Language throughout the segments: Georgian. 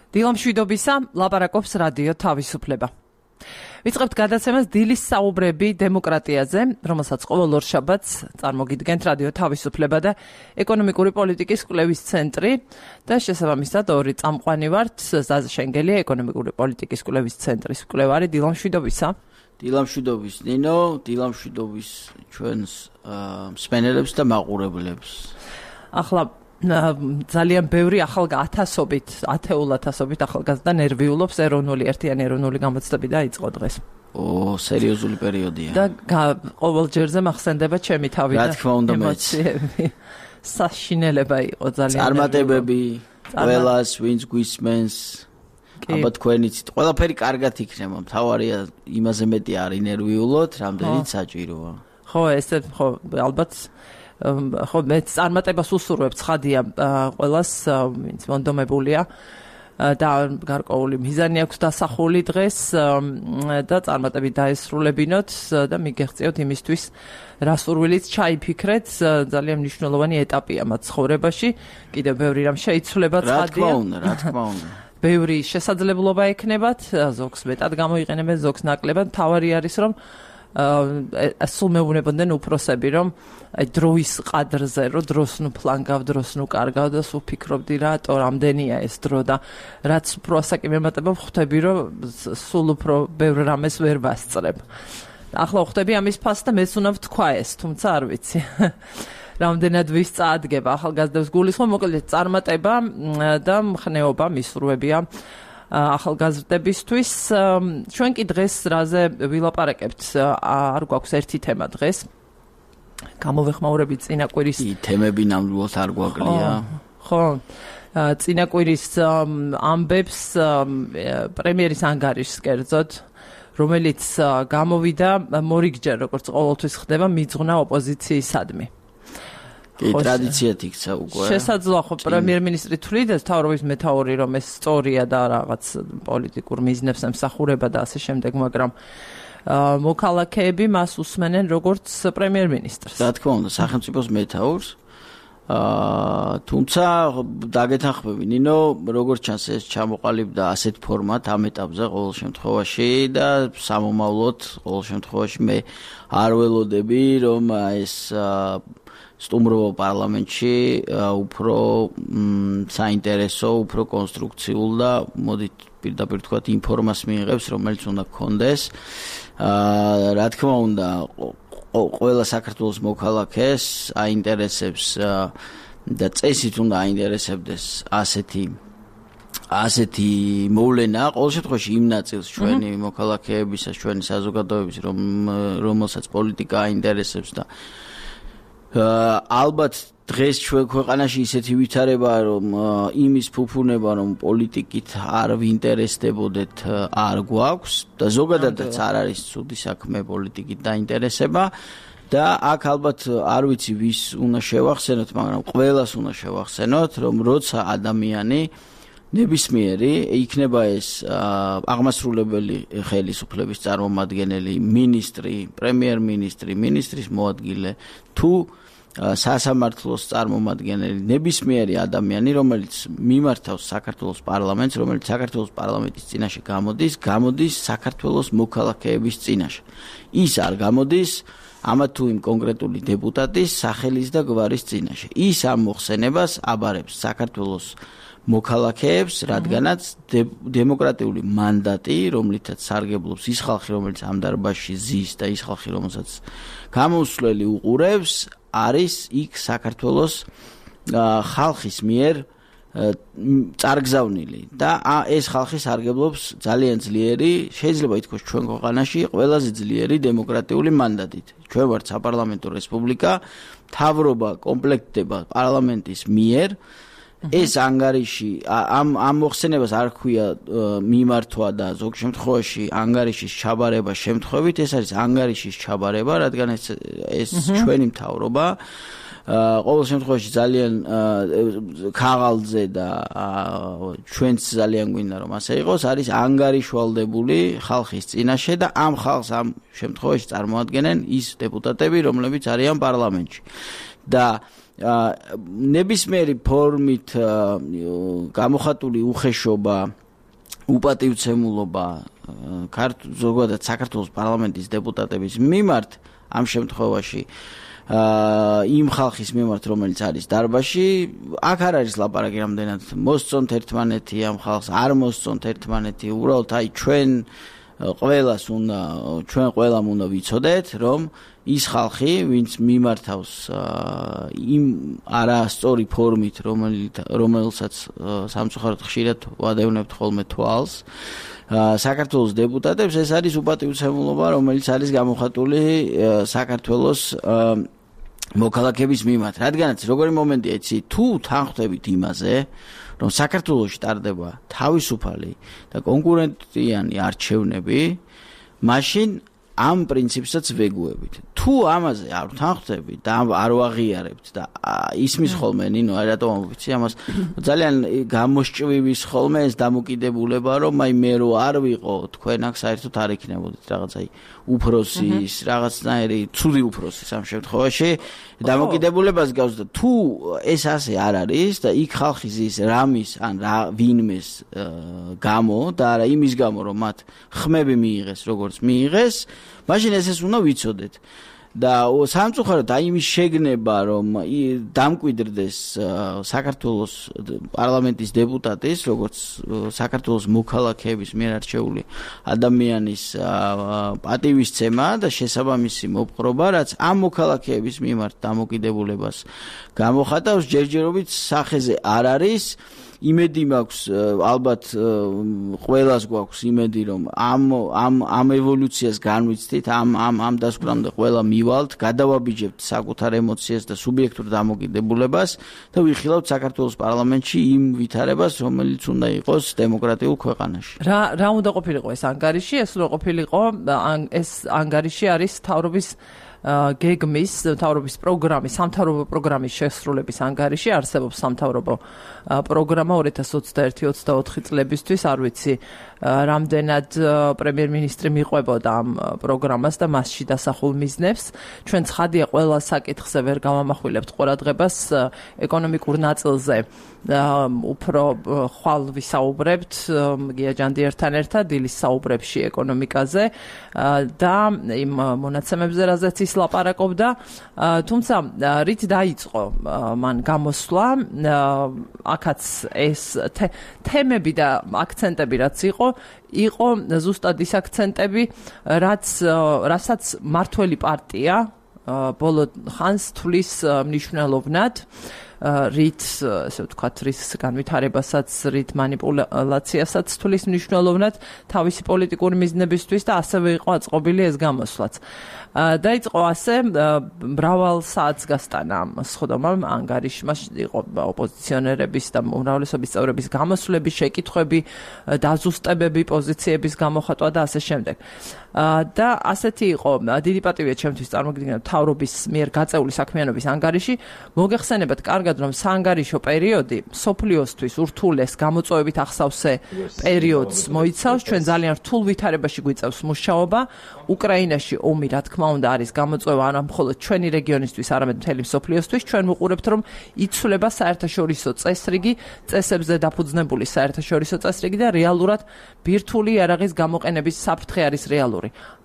დილამშვიდობისა, ლაპარაკობს რადიო თავისუფლება. ვიწყებთ გადაცემას დილის საუბრები დემოკრატიაზე, რომელსაც ყოველ ორშაბათს წარმოგიდგენთ რადიო თავისუფლება და ეკონომიკური პოლიტიკის კვლევის ცენტრი და შესაბამისად ორი წამყვანი ვართ, ზაზა შენგელია, ეკონომიკური პოლიტიკის კვლევის ცენტრის კვლევარი. დილამშვიდობისა. დილამშვიდობის ნინო, დილამშვიდობის ჩვენს მსმენელებს და მაყურებლებს. ახლა ძალიან ბევრი ათეულ ათასობით ახალგაზრდა ნერვიულობს ერთიანი ეროვნული გამოცდები დაიწყო დღეს. სერიოზული პერიოდია. და ყოველ ჯერზე მახსენდება ჩემი თავი და ემოციები. საშინელება იყო ძალიან. წარმატებები, ყველას ვინც გვისმენს, აბა თქვენიცით, ყველაფერი კარგად იქნება. მთავარია იმაზე მეტი არ ინერვიულოთ, რამდენიც საჭიროა. ალბათ ხო მე წარმატებას უსურვებ ცხადია ყველას ვინც მონდომებულია და გარკვეული მიზანი აქვს დასახული დღეს და წარმატებით დაესრულებინოთ და მიგეღწევთ იმისთვის რა სურვილიც ჩაიფიქრეთ ძალიან მნიშვნელოვანი ეტაპია მათ ცხოვრებაში კიდევ ბევრი რამ შეიცვლება ცხადია რა თქმა უნდა ბევრი შესაძლებლობა ექნებათ ზოგს მეტად გამოიყენებენ ზოგს ნაკლებად თავარი არის რომ სულ მეუბნებოდნენ უფროსები რომ დროის ყადრზე რომ დროს ნუ ფლანგავ დროს ნუ კარგავ და სულ ფიქრობდი რატო რამდენია ეს დრო და რაც უფრო ასაკი მემატება ხვდები რომ სულ უფრო ბევრ რამეს ვერ ვასწრებ ახლა ხვდები ამის ფასს და მეც უნდა ვთქვა ეს თუმცა არ ვიცი რამდენად ვის წაადგება ახალგაზრდებს გულისხმობ მოკლედ წარმატება და მხნეობა მისურვებია ახალგაზრდებისთვის ჩვენ კი დღეს რაზე ვილაპარაკებთ არ გვაქვს ერთი თემა დღეს გამოვეხმაურებით წინაკვირის თემები ნამდვილად არ გვაკლია ხო წინაკვირის ამბებს პრემიერის ანგარიშს კერძოდ რომელიც გამოვიდა მორიგჯერ როგორც ყოველთვის ხდება მიძღვნა ოპოზიციისადმი ტრადიციად იქცა უკვე. შესაძლოა ხო პრემიერ-მინისტრი თვლიდეს თავრობის მეთაური რომ ეს სწორია და რაღაც პოლიტიკურ მიზნებს ემსახურება და ასე შემდეგ, მაგრამ მოქალაქეები მას უსმენენ როგორც პრემიერ-მინისტრს. რა თქმა უნდა, სახელმწიფოს მეთაურს. თუმცა დაგეთანხმები ნინო, როგორც ჩანს ეს ჩამოყალიბდა ასეთ ფორმატ ამ ეტაპზე ყოველ შემთხვევაში და სამომავლოდ ყოველ შემთხვევაში მე არ ველოდები რომ ეს სტუმრობა პარლამენტში უფრო საინტერესო, უფრო კონსტრუქციულ და მოდით პირდაპირ თქვათ ინფორმაციას მიიღებს, რომელიც უნდა გქონდეს. რა თქმა უნდა, ყველა საქართველოს მოქალაქეს აინტერესებს და წესით უნდა აინტერესებდეს ასეთი მოვლენა, ყოველ შემთხვევაში იმ ნაწილს ჩვენი მოქალაქეებისა, ჩვენი საზოგადოების, რომელსაც პოლიტიკა აინტერესებს და ალბათ დღეს ჩვენ ქვეყანაში ისეთი ვითარებაა რომ იმის ფუფუნება რომ პოლიტიკით არ ვინტერესდებოდეთ არ გვაქვს და ზოგადადაც არ არის ცუდი საქმე პოლიტიკით დაინტერესება და აქ ალბათ არ ვიცი ვის უნდა შევახსენოთ მაგრამ ყველას უნდა შევახსენოთ რომ როცა ადამიანი ნებისმიერი იქნება ეს აღმასრულებელი ხელისუფლების წარმომადგენელი მინისტრი პრემიერ-მინისტრი მინისტრის მოადგილე თუ სასამართლოს წარმომადგენელი ნებისმიერი ადამიანი რომელიც მიმართავს საქართველოს პარლამენტს რომელიც საქართველოს პარლამენტის წინაშე გამოდის საქართველოს მოქალაქეების წინაშე ის არ გამოდის ამა თუ იმ კონკრეტული დეპუტატის სახელის და გვარის წინაშე ის ამ მოხსენებას აბარებს საქართველოს მოქალაქეებს, რადგანაც დემოკრატიული მანდატი, რომლითაც სარგებლობს ის ხალხი, რომელიც ამ დარბაზში ზის და ის ხალხი, რომელსაც გამოსვლელი უყურებს, არის იქ საქართველოს ხალხის მიერ წარგზავნილი და ეს ხალხი სარგებლობს ძალიან ძლიერი, შეიძლება ითქვას ჩვენ ქვეყანაში ყველაზე ძლიერი დემოკრატიული მანდატით. ჩვენ ვართ საპარლამენტო რესპუბლიკა, მთავრობა კომპლექტდება პარლამენტის მიერ ეს ანგარიში ამ მოხსენებას არ ქვია მიმართვა და ზოგ შემთხვევაში ანგარიშის ჩაბარება შემთხვევით ეს არის ანგარიშის ჩაბარება რადგან ეს ჩვენი მთავრობა ყოველ შემთხვევაში ძალიან ქაღალდზე და ჩვენც ძალიან გვინდა რომ ასე იყოს არის ანგარიშვალდებული ხალხის წინაშე და ამ ხალხს ამ შემთხვევაში წარმოადგენენ ის დეპუტატები რომლებიც არიან პარლამენტში და ნებისმიერი ფორმით გამოხატული უხეშობა, უპატივცემულობა ზოგადად საქართველოს პარლამენტის დეპუტატების მიმართ ამ შემთხვევაში იმ ხალხის მიმართ, რომელიც არის დარბაზში, აქ არ არის ლაპარაკი რამდენად მოსწონთ ერთმანეთი ამ ხალხს, არ მოსწონთ ერთმანეთი, უბრალოდ ჩვენ ყველამ უნდა ვიცოდეთ, რომ ის ხალხი, ვინც მიმართავს იმ არასწორი ფორმით, რომელსაც სამწუხაროდ ხშირად ვადევნებთ ხოლმე თვალს, საქართველოს დეპუტატებს, ეს არის უპატივცემულობა, რომელიც არის გამოხატული საქართველოს მოქალაქეების მიმართ. რადგანაც როგორი მომენტია, იცი, თუ თანხმდებით იმაზე, რომ საქართველოში ტარდება თავისუფალი და კონკურენტიანი არჩევნები, მაშინ ამ პრინციპსაც ვეგუებით. თუ ამაზე არ თანხმდებით და არ ვაღიარებთ და ისმის ხოლმე ნინო, რატომ ვიცი ამას ძალიან გამოსჭვივის ხოლმე ეს დამოკიდებულება, რომ აი მე რო არ ვიყო, თქვენ აქ საერთოდ არ იქნებოდით რაღაცა უფროსის, რაღაცნაირი ცუდი უფროსის ამ შემთხვევაში დამოკიდებულებას გავს და თუ ეს ასე არ არის და იქ ხალხი ზის რამის ან ვინმეს გამო და არა იმის გამო, რომ მათ ხმები მიიღეს, როგორც მიიღეს, მაშინ ეს უნდა ვიცოდეთ. და სამწუხაროდ აი იმის შეგნება, რომ დამკვიდრდეს საქართველოს პარლამენტის დეპუტატის, როგორც საქართველოს მოქალაქეების მიერ არჩეული ადამიანის პატივისცემა და შესაბამისი მოპყრობა, რაც ამ მოქალაქეების მიმართ დამოკიდებულებას გამოხატავს, ჯერჯერობით სახეზე არ არის. იმედი მაქვს, ალბათ ყველას გვაქვს იმედი, რომ ამ ევოლუციას განვიცდით, ამ დასკვნამდე ყველა მივალთ, გადავაბიჯებთ საკუთარ ემოციას და სუბიექტურ დამოკიდებულებას და ვიხილავთ საქართველოს პარლამენტში იმ ვითარებას, რომელიც უნდა იყოს დემოკრატიულ ქვეყანაში. რა უნდა ყოფილიყო ეს ანგარიში? ეს უნდა ყოფილიყო, ეს ანგარიში არის მთავრობის გეგმის, მთავრობის პროგრამის, სამთავრობო პროგრამის შესრულების ანგარიში, არსებობს სამთავრობო პროგრამა 2021-24 წლებისთვის, არ ვიცი რამდენად პრემიერ-მინისტრი მიყვებოდა ამ პროგრამას და მასში დასახულ მიზნებს. ჩვენ ცხადია ყველა საკითხზე ვერ გავამახვილებთ ყურადღებას, ეკონომიკურ ნაწილზე უფრო ხვალ ვისაუბრებთ გია ჯანდიერთან ერთად დილის საუბრებში ეკონომიკაზე და იმ მონაცემებზე, რაზეც ის ლაპარაკობდა, თუმცა რით დაიწყო მან გამოსვლა, აქაც ეს თემები და აქცენტები რაც იყო ზუსტად ის აქცენტები, რასაც მართველი პარტია ბოლო ხანს თulis მნიშვნელოვნად, რით, ესე ვთქვათ, რის განვითარებასაც, რით მანიპულაციასაც თulis მნიშვნელოვნად თავისი პოლიტიკური მიზნებისთვის და ასევე იყო აწყობილი ეს გამოსვლაც. დაიწყო ასე მრავალ საათს გასტანა სხდომამ ანგარიშმა, იყო ოპოზიციონერების და უმრავლესობის წევრების გამოსვლები, შეკითხვები, დაზუსტებები, პოზიციების გამოხატვა და ასე შემდეგ. და ასეთი იყო დიდი პატივია ჩემთვის წარმოგიდგენთ მთავრობის მიერ გაწეული საქმიანობის ანგარიში. მოგეხსენებათ კარგად, რომ საანგარიშო პერიოდი სოფლიოსთვის ურთულეს გამოწვევებით ახსავსე პერიოდს მოიცავს. ჩვენ ძალიან რთულ ვითარებაში გვიწევს მუშაობა. უკრაინაში ომი, რა თქმა უნდა, არის გამოწვევა არა მხოლოდ ჩვენი რეგიონისთვის, არამედ მთელი მსოფლიოსთვის. ჩვენ ვუყურებთ, რომ იცვლება საერთაშორისო წესრიგი, წესებზე დაფუძნებული საერთაშორისო წესრიგი და რეალურად ბირთვული იარაღის გამოყენების საფრთხე არის რეალური.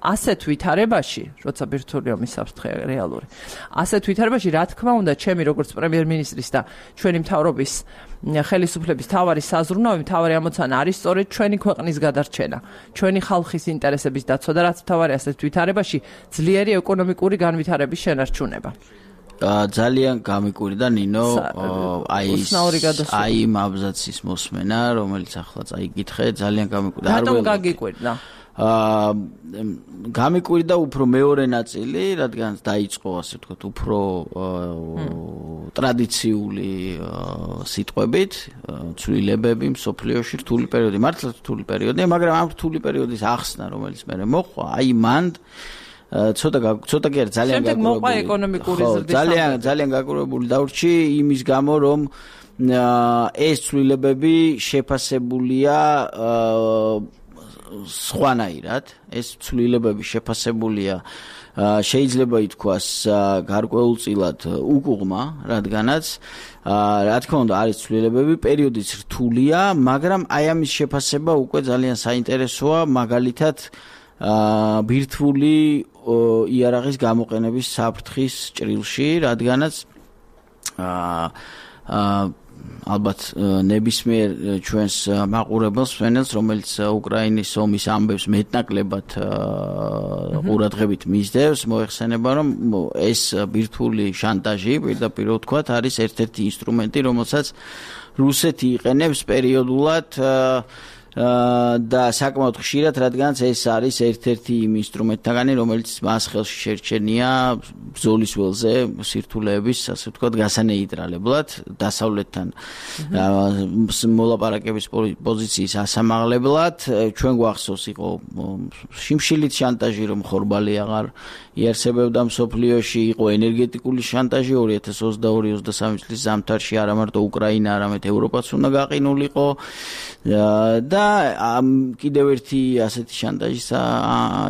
ასეთ ვითარებაში, როცა ბირთვული ომის საფრთხე რეალური, ასეთ ვითარებაში, რა თქმა უნდა, ჩემი როგორც პრემიერ-მინისტრის და ჩვენი მთავრობის ხელისუფლების თავარი საზრუნავი, თავარი ამოცანა არის სწორედ ჩვენი ქვეყნის გადარჩენა, ჩვენი ხალხის ინტერესების დაცვა და რაც თავარი ასეთ ვითარებაში ძლიერი ეკონომიკური განვითარების შენარჩუნება. ძალიან გამიკვირდა ნინო აი იმ აბზაცის მოსმენა, რომელიც ახლა წაიკითხე, ძალიან გამიკვირდა. რატომ გაგიკვირდა? გამიკვირდა უფრო მეორე ნაწილი, რადგან დაიწყო ასე ვთქვათ, უფრო ტრადიციული სიტყვებით, ცვლილებები მსოფლიოში, რთული პერიოდი, მართლა რთული პერიოდია, მაგრამ ამ რთული პერიოდის ახსნა, რომელიც მე მოყვა, აი მან ცოტა კი არის ძალიან ძალიან გაკურებული დავრჩი იმის გამო, რომ ეს ცვლილებები შეფასებულია სხვანაირად ეს ცვლილებები შეფასებულია შეიძლება ითქვას გარკვეულწილად უკუღმა, რადგანაც რა თქმა უნდა არის ცვლილებები, პერიოდიც რთულია, მაგრამ აი ამის შეფასება უკვე ძალიან საინტერესოა, მაგალითად ბირთვული იარაღის გამოყენების საფრთხის ჭრილში, რადგანაც ალბათ ნებისმიერ ჩვენს მაყურებელს ვენელს, რომელიც უკრაინის ომის ამბებს მეტნაკლებად ყურადღებით მისდევს, მოეხსენება, რომ ეს ბირთვული შანტაჟი, პირდაპირ ვთქვათ, არის ერთ-ერთი ინსტრუმენტი, რომელსაც რუსეთი იყენებს პერიოდულად და საკმაოდ ხშირად, რადგანაც ეს არის ერთ-ერთი იმ ინსტრუმენტთაგანი, რომელიც მას ხელში შერჩენია ბრძოლის ველზე სირთულეების, ასე ვთქვათ, გასანეიტრალებლად, დასავლეთთან მოლაპარაკების პოზიციის ასამაღლებლად. ჩვენ გვახსოვს იყო შიმშილით შანტაჟი, რომ ხორბალი აღარ იარსებებდა მსოფლიოში, იყო ენერგეტიკული შანტაჟი 2022-23 წლის ზამთარში არა მარტო უკრაინა, არამედ ევროპაც უნდა გაყინულიყო და კიდევ ერთი ასეთი შანტაჟის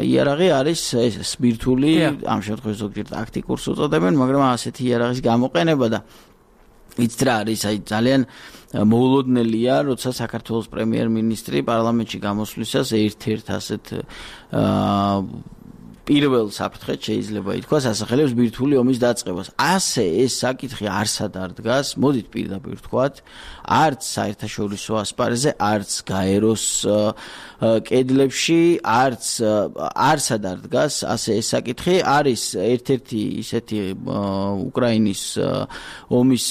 იარაღი არის ეს ბირთვული, ამ შემთხვევაში ზოგჯერ ტაქტიკურს უწოდებენ, მაგრამ ასეთი იარაღის გამოყენება და იცით რა არის, აი ძალიან მოულოდნელია, როცა საქართველოს პრემიერ-მინისტრი პარლამენტში გამოსვლისას ერთ-ერთ ასეთ პირველ საფრთხედ შეიძლება ითქვას ასახელებს ბირთვული ომის დაწყებას. ასე ეს საკითხი არსად არ დგას, მოდით პირდაპირ ვთქვათ, არც საერთაშორისო ასპარეზზე, არც გაეროს კედლებში, არსად არ დგას ასე ეს საკითხი. არის ერთ-ერთი ისეთი უკრაინის ომის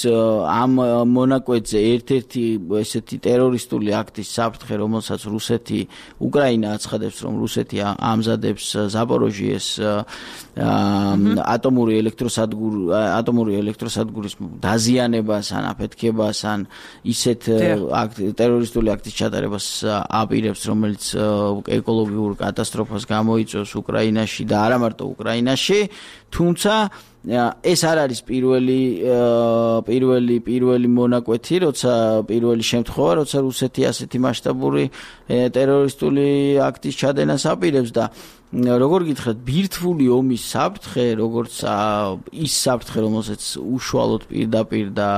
ამ მონაკვეთზე ერთ-ერთი ესეთი ტერორისტული აქტის საფრთხე, რომელსაც რუსეთი, უკრაინა აცხადებს, რომ რუსეთი ამზადებს ზაპოროჟიეს ატომური ელექტროსადგურის დაზიანებას ან აფეთქებას ან ისეთ ტერორისტული აქტის ჩატარებას აპირებს, რომელიც ეკოლოგიურ კატასტროფას გამოიწვევს უკრაინაში და არა მარტო უკრაინაში, თუმცა ეს არ არის პირველი მონაკვეთი, პირველი შემთხვევა, როცა რუსეთი ასეთი მასშტაბური ტერორისტული აქტის ჩადენას აპირებს და როგორ გითხრათ, ბირთვული ომის საფრთხე, როგორც ის საფრთხე, რომელსაც უშუალოდ პირდაპირ და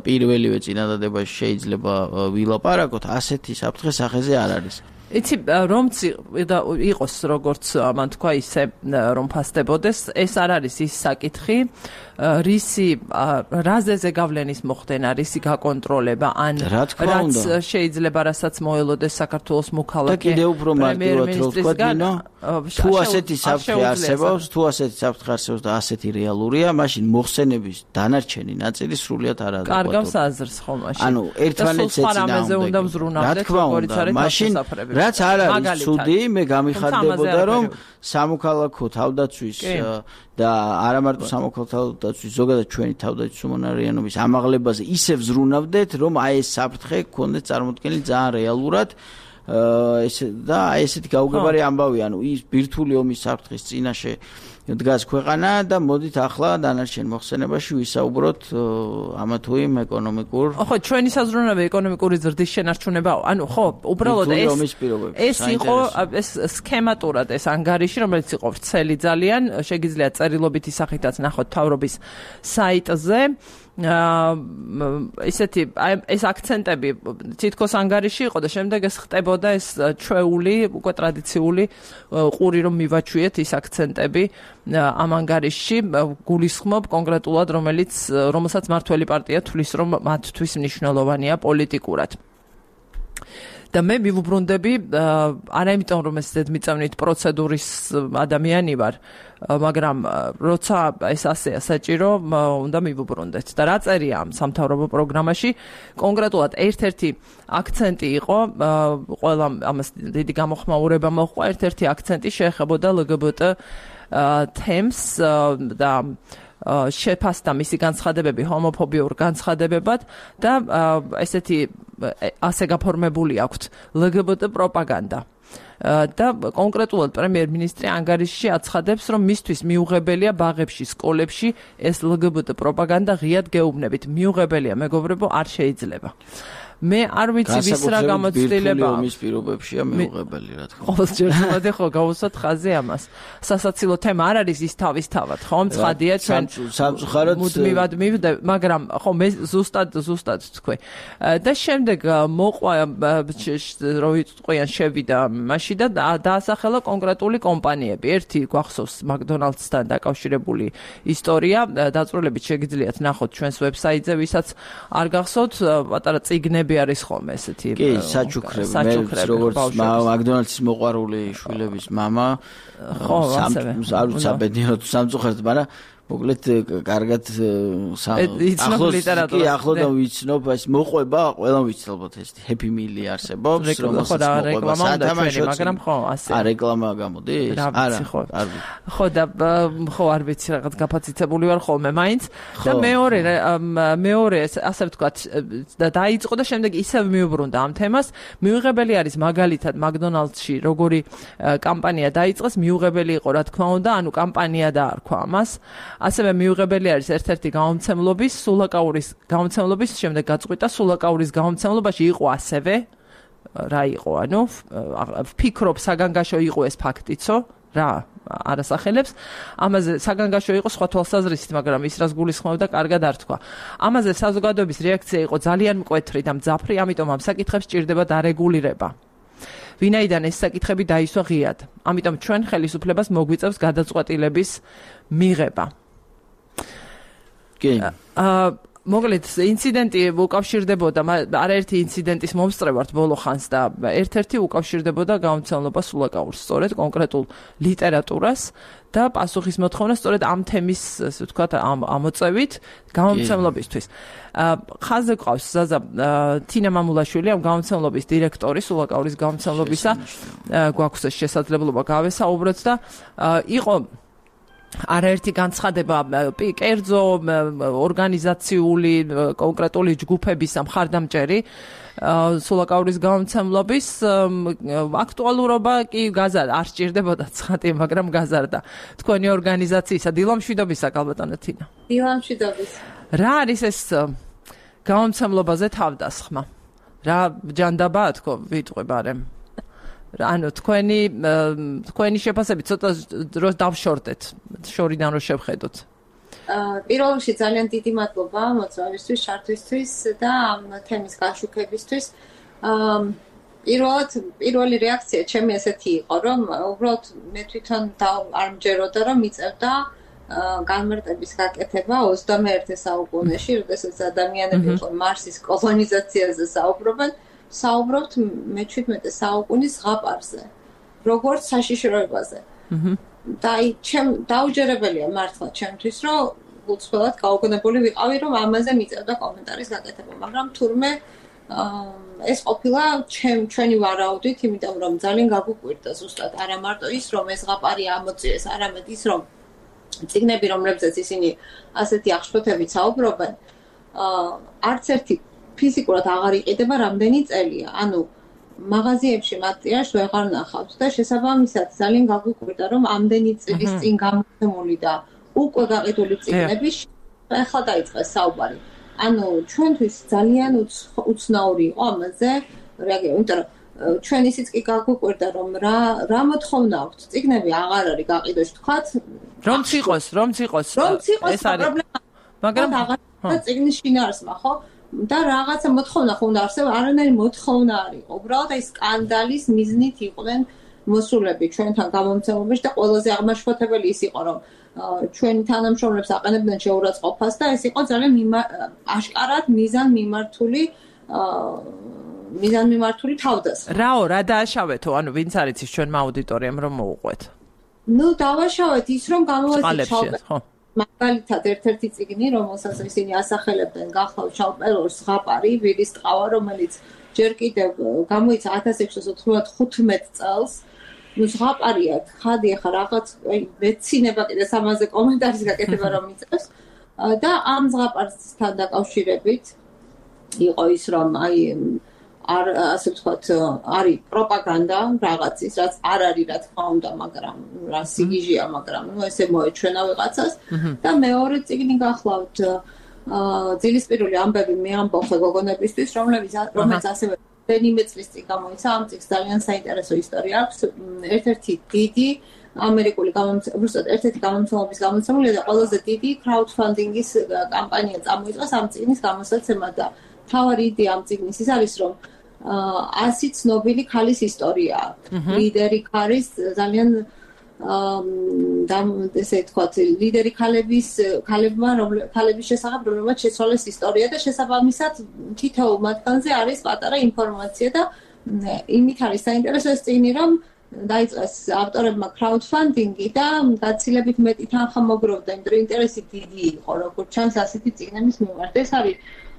პირველივე წინადადებაში შეიძლება ვილაპარაკოთ, ასეთი საფრთხე სახეზე არ არის. იცი, რომც იყოს როგორც მან თქვა ისე რომ ფასდებოდეს, ეს არ არის ის საკითხი, რაზე ზეგავლენის მოხდენა, რისი გაკონტროლება, ან რაც შეიძლება რასაც მოელოდეს საქართველოს მოქალაქე. და კიდევ უფრო მარტივად რო ვთქვათ, ნინო, თუ ასეთი საფრთხე არსებობს და ასეთი რეალურია, მაშინ მოხსენების დანარჩენი ნაწილი სრულიად არ არის. კარგავს აზრს ხო მაშინ. ანუ ერთმანეთს ეწინააღმდეგება. რა თქმა უნდა, მაშინ რაც არ არის ცუდი, მე გამიხარდებოდა, რომ სამოქალაქო თავდაცვის და არა მარტო სამოქალაქო თავდაცვის, ზოგადად ჩვენი თავდაცვის უმონარიანობის ამაღლებაზე ისევ ზრუნავდეთ, რომ აი ეს საფრთხე გქონდეთ წარმოქმნილი ძალიან რეალურად და ესეთი გაუგებარი ამბავი, ანუ ის ბირთვული ომის საფრთხის წინაშე დგას ქვეყანა და მოდით ახლა დანარჩენ მოხსენებაში ვისაუბროთ ამა თუ იმ ეკონომიკურ. ხო, ჩვენი საზრუნავი ეკონომიკური ზრდის შენარჩუნებაა. ანუ ხო, უბრალოდ ეს იყო ეს სქემატურად ეს ანგარიში, რომელიც იყო ვრცელი ძალიან, შეგიძლიათ წერილობითი სახითაც ნახოთ მთავრობის საიტზე. ისეთი ეს აქცენტები თითქოს ანგარიში იყო და შემდეგ ეს ხდებოდა ეს ჩვეული, უკვე ტრადიციული ყური რომ მივაჩვიეთ ის აქცენტები ამ ანგარიშში გულისხმობ კონკრეტულად რომელსაც მართველი პარტია თვლის რომ მათთვის მნიშვნელოვანია პოლიტიკურად. და მე მივუბრუნდები არა იმიტომ რომ ეს ზედმიწევნით პროცედურის ადამიანი ვარ, მაგრამ როცა ეს ასეა საჭირო, უნდა მივუბრუნდეთ. და რა წერია ამ სამთავრობო პროგრამაში, კონკრეტულად ერთ-ერთი აქცენტი იყო, ყველა ამას დიდი გამოხმაურება მოჰყვა, ერთ-ერთი აქცენტი შეეხებოდა LGBT თემს და შეფასდა მისი განცხადებები ჰომოფობიურ განცხადებებად და ესეთი ასე გაფორმებული აქვთ LGBT პროპაგანდა. და კონკრეტულად პრემიერ-მინისტრი ანგარიშში აცხადებს, რომ მისთვის მიუღებელია ბაღებში, სკოლებში ეს LGBT პროპაგანდა ღიად გეუბნებით. მიუღებელია, მეგობრებო, არ შეიძლება. მე არ ვიცი ვის რა გამოცდილება ამის პირობებშია მიუღებელი რა თქმა უნდა. ყოველჯერ ხო გავუსვათ ხაზი ამას. სასაცილო თემა არ არის ის თავისთავად, ხო? მცხადია ჩვენ სამწუხაროდ მუდმივად მივდე, მაგრამ ხო მე ზუსტად თქვი. და შემდეგ მოყვა რო იყვიან შევიდა მაშინ და დაასახელა კონკრეტული კომპანიები. ერთი გვახსოვს McDonald's-თან დაკავშირებული ისტორია, დაწვრილებით შეგიძლიათ ნახოთ ჩვენს ვებსაიტზე, ვისაც არ გახსოვთ, პატარა წიგნები არის ხოლმე ესეთი. კი, საჩუქრები. მე როგორც McDonald's-ის მოყვარული შვილების მამა, ხო, ასევე. არ ვიცი ბედნიერად სამწუხაროდ, მაგრამ მოკლედ კარგად იცნობ ლიტერატურას. კი, ახლოდან ვიცნობ, ეს მოყვება, ყველამ ვიცი ალბათ ეს Happy Meal არსებობს, რომელსაც მოყვება სათამაშო, მაგრამ ხო, ასე. რეკლამა გამოდის? არა, არ ვიცი. ხო და ხო არ ვიცი რაღაც გაფაციცებული ვარ ხოლმე მაინც და მეორე ასე ვთქვათ და დაიწყო და შემდეგ ისევ მიუბრუნდა ამ თემას. მიუღებელი არის მაგალითად McDonald's-ში როგორი კამპანია დაიწყეს, მიუღებელი იყო რა თქმა უნდა, ანუ კამპანია დაარქვა ამას. ასევე მიუღებელი არის ერთ-ერთი გამომცემლობის, სულაკაურის გამომცემლობის, შემდეგ გაწყვიტა სულაკაურის გამომცემლობაში იყო ასევე რა იყო, ანუ ვფიქრობ საგანგაშო იყო ეს ფაქტიცო, რა არასახელებს. ამაზე საგანგაშო იყო სხვა თვალსაზრისით, მაგრამ ის რას გულისხმობდა, კარგად არ თქვა. ამაზე საზოგადოების რეაქცია იყო ძალიან მკვეთრი და მძაფრი, ამიტომ ამ საკითხებს სჭირდება დარეგულირება. ვინაიდან ეს საკითხები დაისვა ღიად. ამიტომ ჩვენ ხელისუფლებას მოგვიწევს გადაწყვეტილების მიღება. კი. მოკლედ ინციდენტი უკავშირდებოდა არაერთი ინციდენტის მომსწრევართ ბოლო ხანს და ერთ-ერთი უკავშირდებოდა გამომცემლობას სულაკაურს, სწორედ კონკრეტულ ლიტერატურას და პასუხის მოთხოვნა სწორედ ამ თემის, ასე ვთქვათ, ამოწევით გამომცემლობისთვის. ხაზზე ყავს ზაზა თინა მამულაშვილი, ამ გამომცემლობის დირექტორი, სულაკაურის გამომცემლობისა, გვაქვს შესაძლებლობა გავესაუბროთ და იყო არაერთი განცხადება კერძო ორგანიზაციული კონკრეტული ჯგუფების მხარდამჭერი სულაკაურის გამომცემლობის აქტუალურობა კი არ სჭირდებოდა ცხადია, მაგრამ გაზარდა. თქვენი ორგანიზაციისა დილამშვიდობისა კალბატონო თინა. დილამშვიდობის. რა არის ეს გამომცემლობაზე თავდასხმა? რა ჯანდაბაა თქო ვიტყვი ბარემ? ანუ თქვენი შეფასებით ცოტა დროს დავშორდეთ, შორიდან რო შევხედოთ. პირველ რიგში ძალიან დიდი მადლობა მოწვევისთვის, შარდვისთვის და ამ თემის გაშუქებისთვის. პირველი რეაქცია ჩემი ესეთი იყო, რომ უბრალოდ მე თვითონ არ მჯეროდა, რომ მიწევდა განმარტების გაკეთება 21 საუკუნეში, როდესაც ადამიანები მარსის კოლონიზაციაზე საუბრობთ მე-17 საუკუნის ზღაპარზე, როგორც საშიშროებაზე. და დაუჯერებელია მართლა ჩემთვის, რომ გულწრფელად გაუგონებელი ვიყავი, რომ ამაზე მიწევდა კომენტარის გაკეთება, მაგრამ თურმე ეს ყოფილა ჩვენი ვარაუდით, იმიტომ რომ ძალიან გაგუკვირდა ზუსტად არა მარტო ის, რომ ეს ზღაპარი ამოწიეს, არამედ ის, რომ წიგნები, რომლებზეც ისინი ასეთი აღშფოთებით საუბრობენ, არც ერთი ფიზიკურად აღარ იყიდება რამდენი წელია. ანუ მაღაზიებში მათ ტირაჟს ვეღარ ნახავთ და შესაბამისად ძალიან გაგუკვირდა, რომ ამდენი წლის წინ გამოცემული და უკვე გაყიდული წიგნები ახლა დაიწყეს საუბარი. ანუ ჩვენთვის ძალიან უცნაური იყო ამაზე რეაგირება, იმიტომ რომ ჩვენ ისიც კი გაგუკვირდა, რომ რა მოთხოვნა აქვს, წიგნები აღარ არის გაყიდოში, თქვათ, რომ ციყოს ეს არის პრობლემა, მაგრამ აღარ წიგნის შინაარსმა, ხო? და რაღაცა მოთხოვნა ხო უნდა არსებობს, არანაირი მოთხოვნა არ იყო. უბრალოდ აი სკანდალის მიზნით იყვნენ მოსულები ჩვენთან გამომცემლობაში და ყველაზე აღმაშფოთებელი ის იყო, რომ ჩვენი თანამშრომლებს აყენებდნენ შეურაცხყოფას და ეს იყო ძალიან აშკარად მიზანმიმართული თავდასხმა. რა დააშავეთო, ანუ ვინც არის ის ჩვენმა აუდიტორიამ რომ მოუყვეთ? ნუ დავაშავეთ ის, რომ გამოვაჩინოთ მაგალითად ერთ-ერთი წიგნი, რომელსაც ისინი ასახელებდნენ, გახლავთ შავპელორს ზღაპარი, ვირის ტყავა, რომელიც ჯერ კიდევ გამოიცა 1695 წელს. ნუ ზღაპარია, ხადი ახლა რაღაც მეცინება კიდე ამაზე კომენტარის გაკეთება რომ მიწევს და ამ ზღაპარსთან დაკავშირებით იყო ის, რომ აი ასე ვთქვათ, არის პროპაგანდა რაღაცის, რაც არ არის რა თქმა უნდა, მაგრამ რა სიგიჟეა, მაგრამ ნუ ესე მოეჩვენა ვიღაცას და მეორე წიგნი გახლავთ ძილისპირული ამბები მე ამბობ გოგონებისთვის, რომელიც ასევე რენიმე წლის წინ გამოიცა, ამ წიგნს ძალიან საინტერესო ისტორია აქვს. ერთ-ერთი დიდი ამერიკული ერთ-ერთი გამომცემლობის გამოცემული და ყველაზე დიდი crowdfunding-ის კამპანია წამოიწყეს ამ წიგნის გამოსაცემად და მთავარი იდეა ამ წიგნის ის არის, რომ 100 ცნობილი ქალის ისტორია. ლიდერი ქალის ძალიან ესე ვთქვათ, ლიდერი ქალების შესახებ, რომლებმაც შეცვალეს ისტორია და შესაბამისად თითოეულ მათგანზე არის პატარა ინფორმაცია და იმით არის საინტერესო ეს წიგნი, რომ დაიწყეს ავტორებმა crowdfunding-ი და გაცილებით მეტი თანხა მოგროვდა, იმიტომ რომ ინტერესი დიდი იყო, როგორც ჩანს ასეთი წიგნების მიმართ. ეს არის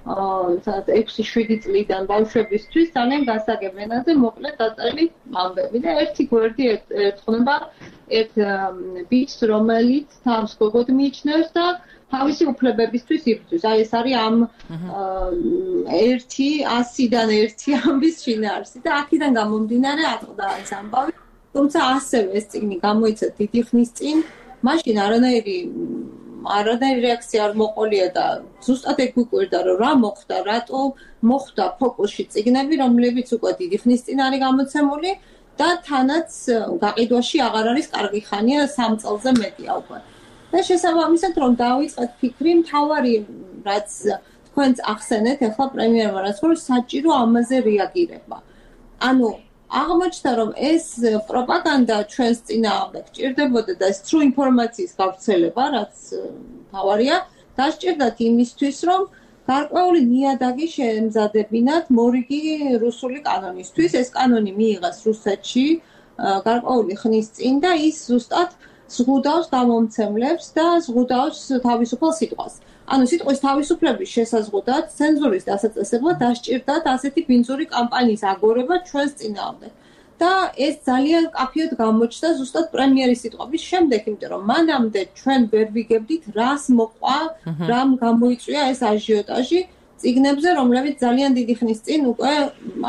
6-7 წლიდან ბავშვებისთვის ძალიან გასაგებ ენაზე მოკლედ დაწერილი ამბები და ერთი გვერდი ერთხნება ერთ ბიჭს, რომელიც თავს გოგოდ მიიჩნევს და თავისი უფლებებისთვის იბრძვის. აი ეს არის ამ 100-დან 1 ამბის შინაარსი და აქედან გამომდინარე აწყდა ეს ამბავი. თუმცა ასევე ეს წიგნი გამოიცა დიდი ხნის წინ, მაშინ არანაირი რეაქცია არ მოყოლია და ზუსტად ეგ გვიკვირდა, რომ რა მოხდა, რატო მოხდა ფოკუსში წიგნები, რომლებიც უკვე დიდი ხნის წინ არის გამოცემული და თანაც გაყიდვაში აღარ არის კარგი ხანია 3 წელზე მეტია უკვე. და შესაბამისად რომ დავიწყეთ ფიქრი, მთავარი რაც თქვენც ახსენეთ, ახლა პრემიერმა რაც ხომ საჭირო ამაზე რეაგირება. ანუ აღმოჩნდა რომ ეს პროპაგანდა ჩვენს წინააღმდეგ ჭირდებოდა და ეს true ინფორმაციის გავრცელება, რაც თავარია, დასჭირდათ იმისთვის, რომ გარკვეული ნიადაგი შეემზადებინათ მორიგი რუსული კანონისთვის. ეს კანონი მიიღეს რუსეთში გარკვეული ხნის წინ და ის ზუსტად ზღუდავს გამომცემლებს და ზღუდავს თავისუფალ სიტყვას. ანუ სიტყვის თავისუფლების შესაზღუდად ცენზურის დასაწესებლად დასჭირდათ ასეთი ბინძური კამპანიის აგორება ჩვენს წინააღმდეგ. და ეს ძალიან კაფიოდ გამოჩნდა ზუსტად პრემიერის სიტყვების შემდეგ, იმიტომ რომ მანამდე ჩვენ ვერ ვიგებდით რას მოყვა, რამ გამოიწვია ეს აჟიოტაჟი წიგნებზე, რომლებიც ძალიან დიდი ხნის წინ უკვე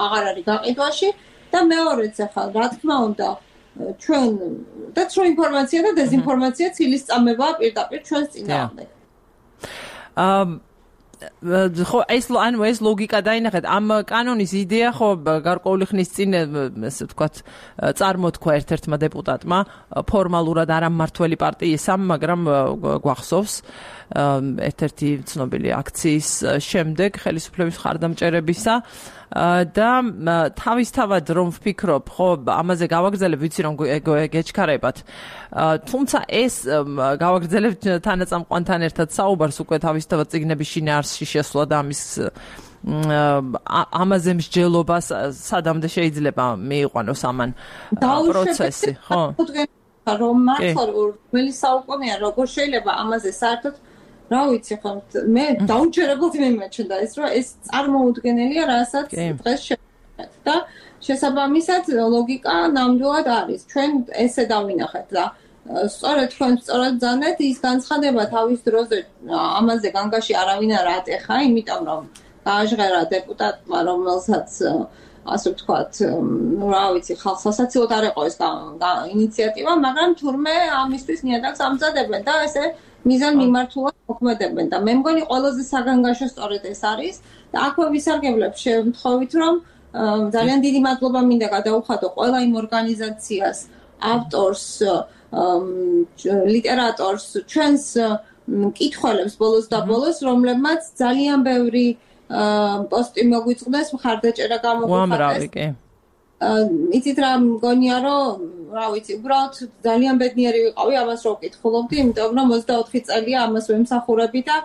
აღარ არის გაყიდვაში და მეორეც ახლა რა თქმა უნდა ჩვენ და true ინფორმაცია და დეზინფორმაცია ცილის წამებაა პირდაპირ ჩვენს წინააღმდეგ. ხო ეს ლოგიკა დაინახეთ ამ კანონის იდეა ხო გარკვეული ხნის წინ ესე ვთქვათ წარმოთქვა ერთ-ერთმა დეპუტატმა ფორმალურად არამმართველი პარტიისამ, მაგრამ გვახსოვს ერთ-ერთი ცნობილი აქციის შემდეგ ხელისუფლების მხარდამჭერებისა და თავისთავად რომ ვფიქრობ, ხო ამაზე გავაგრძელებ, ვიცი რომ გეჩქარებათ. თუმცა ეს გავაგრძელებ თანაწამყვანთან ერთად საუბარს უკვე თავისთავად წიგნების შინაარსში შესვლა და ამაზე მსჯელობას სადამდე შეიძლება მიიყვანოს ამან პროცესი, ხო? რომ მართლა რომელი საუკუნეა, როგორ შეიძლება ამაზე საერთოდ რა ვიცი ხო მე დაუჯერებლად მიმეჩნდა ეს რომ ეს წარმოუდგენელია რასაც დღეს შევხედეთ და შესაბამისად ლოგიკა ნამდვილად არის ჩვენ ესე დავინახეთ და სწორედ თქვენ სწორად ძანეთ ის განცხადება თავის დროზე ამაზე განგაში არავინ არ ატეხა, იმიტომ რომ გააჟღერა დეპუტატმა რომელსაც ასე ვთქვათ, რა ვიცი, ხალხს სასაცილოდ არ ეყო ეს ინიციატივა, მაგრამ თურმე ამისთვის ნიადაგს ამზადებენ და ესე მიზან მიმართულად მოქმედებენ და მე მგონი ყველაზე საგანგაშო სწორედ ეს არის და აქვე ვისარგებლებ შემთხვევით რომ ძალიან დიდი მადლობა მინდა გადაუხადო ყველა იმ ორგანიზაციას, ავტორს, ლიტერატორს, ჩვენს მკითხველებს ბოლოს და ბოლოს, რომლებმაც ძალიან ბევრი პოსტი მოგვიწყდეს, მხარდაჭერა გამოგვიხატეს. იცით რა მგონია რომ რა ვიცი, უბრალოდ ძალიან ბედნიერი ვიყავი ამას რო ვკითხულობდი, იმიტომ რომ 24 წელია ამას ვემსახურები და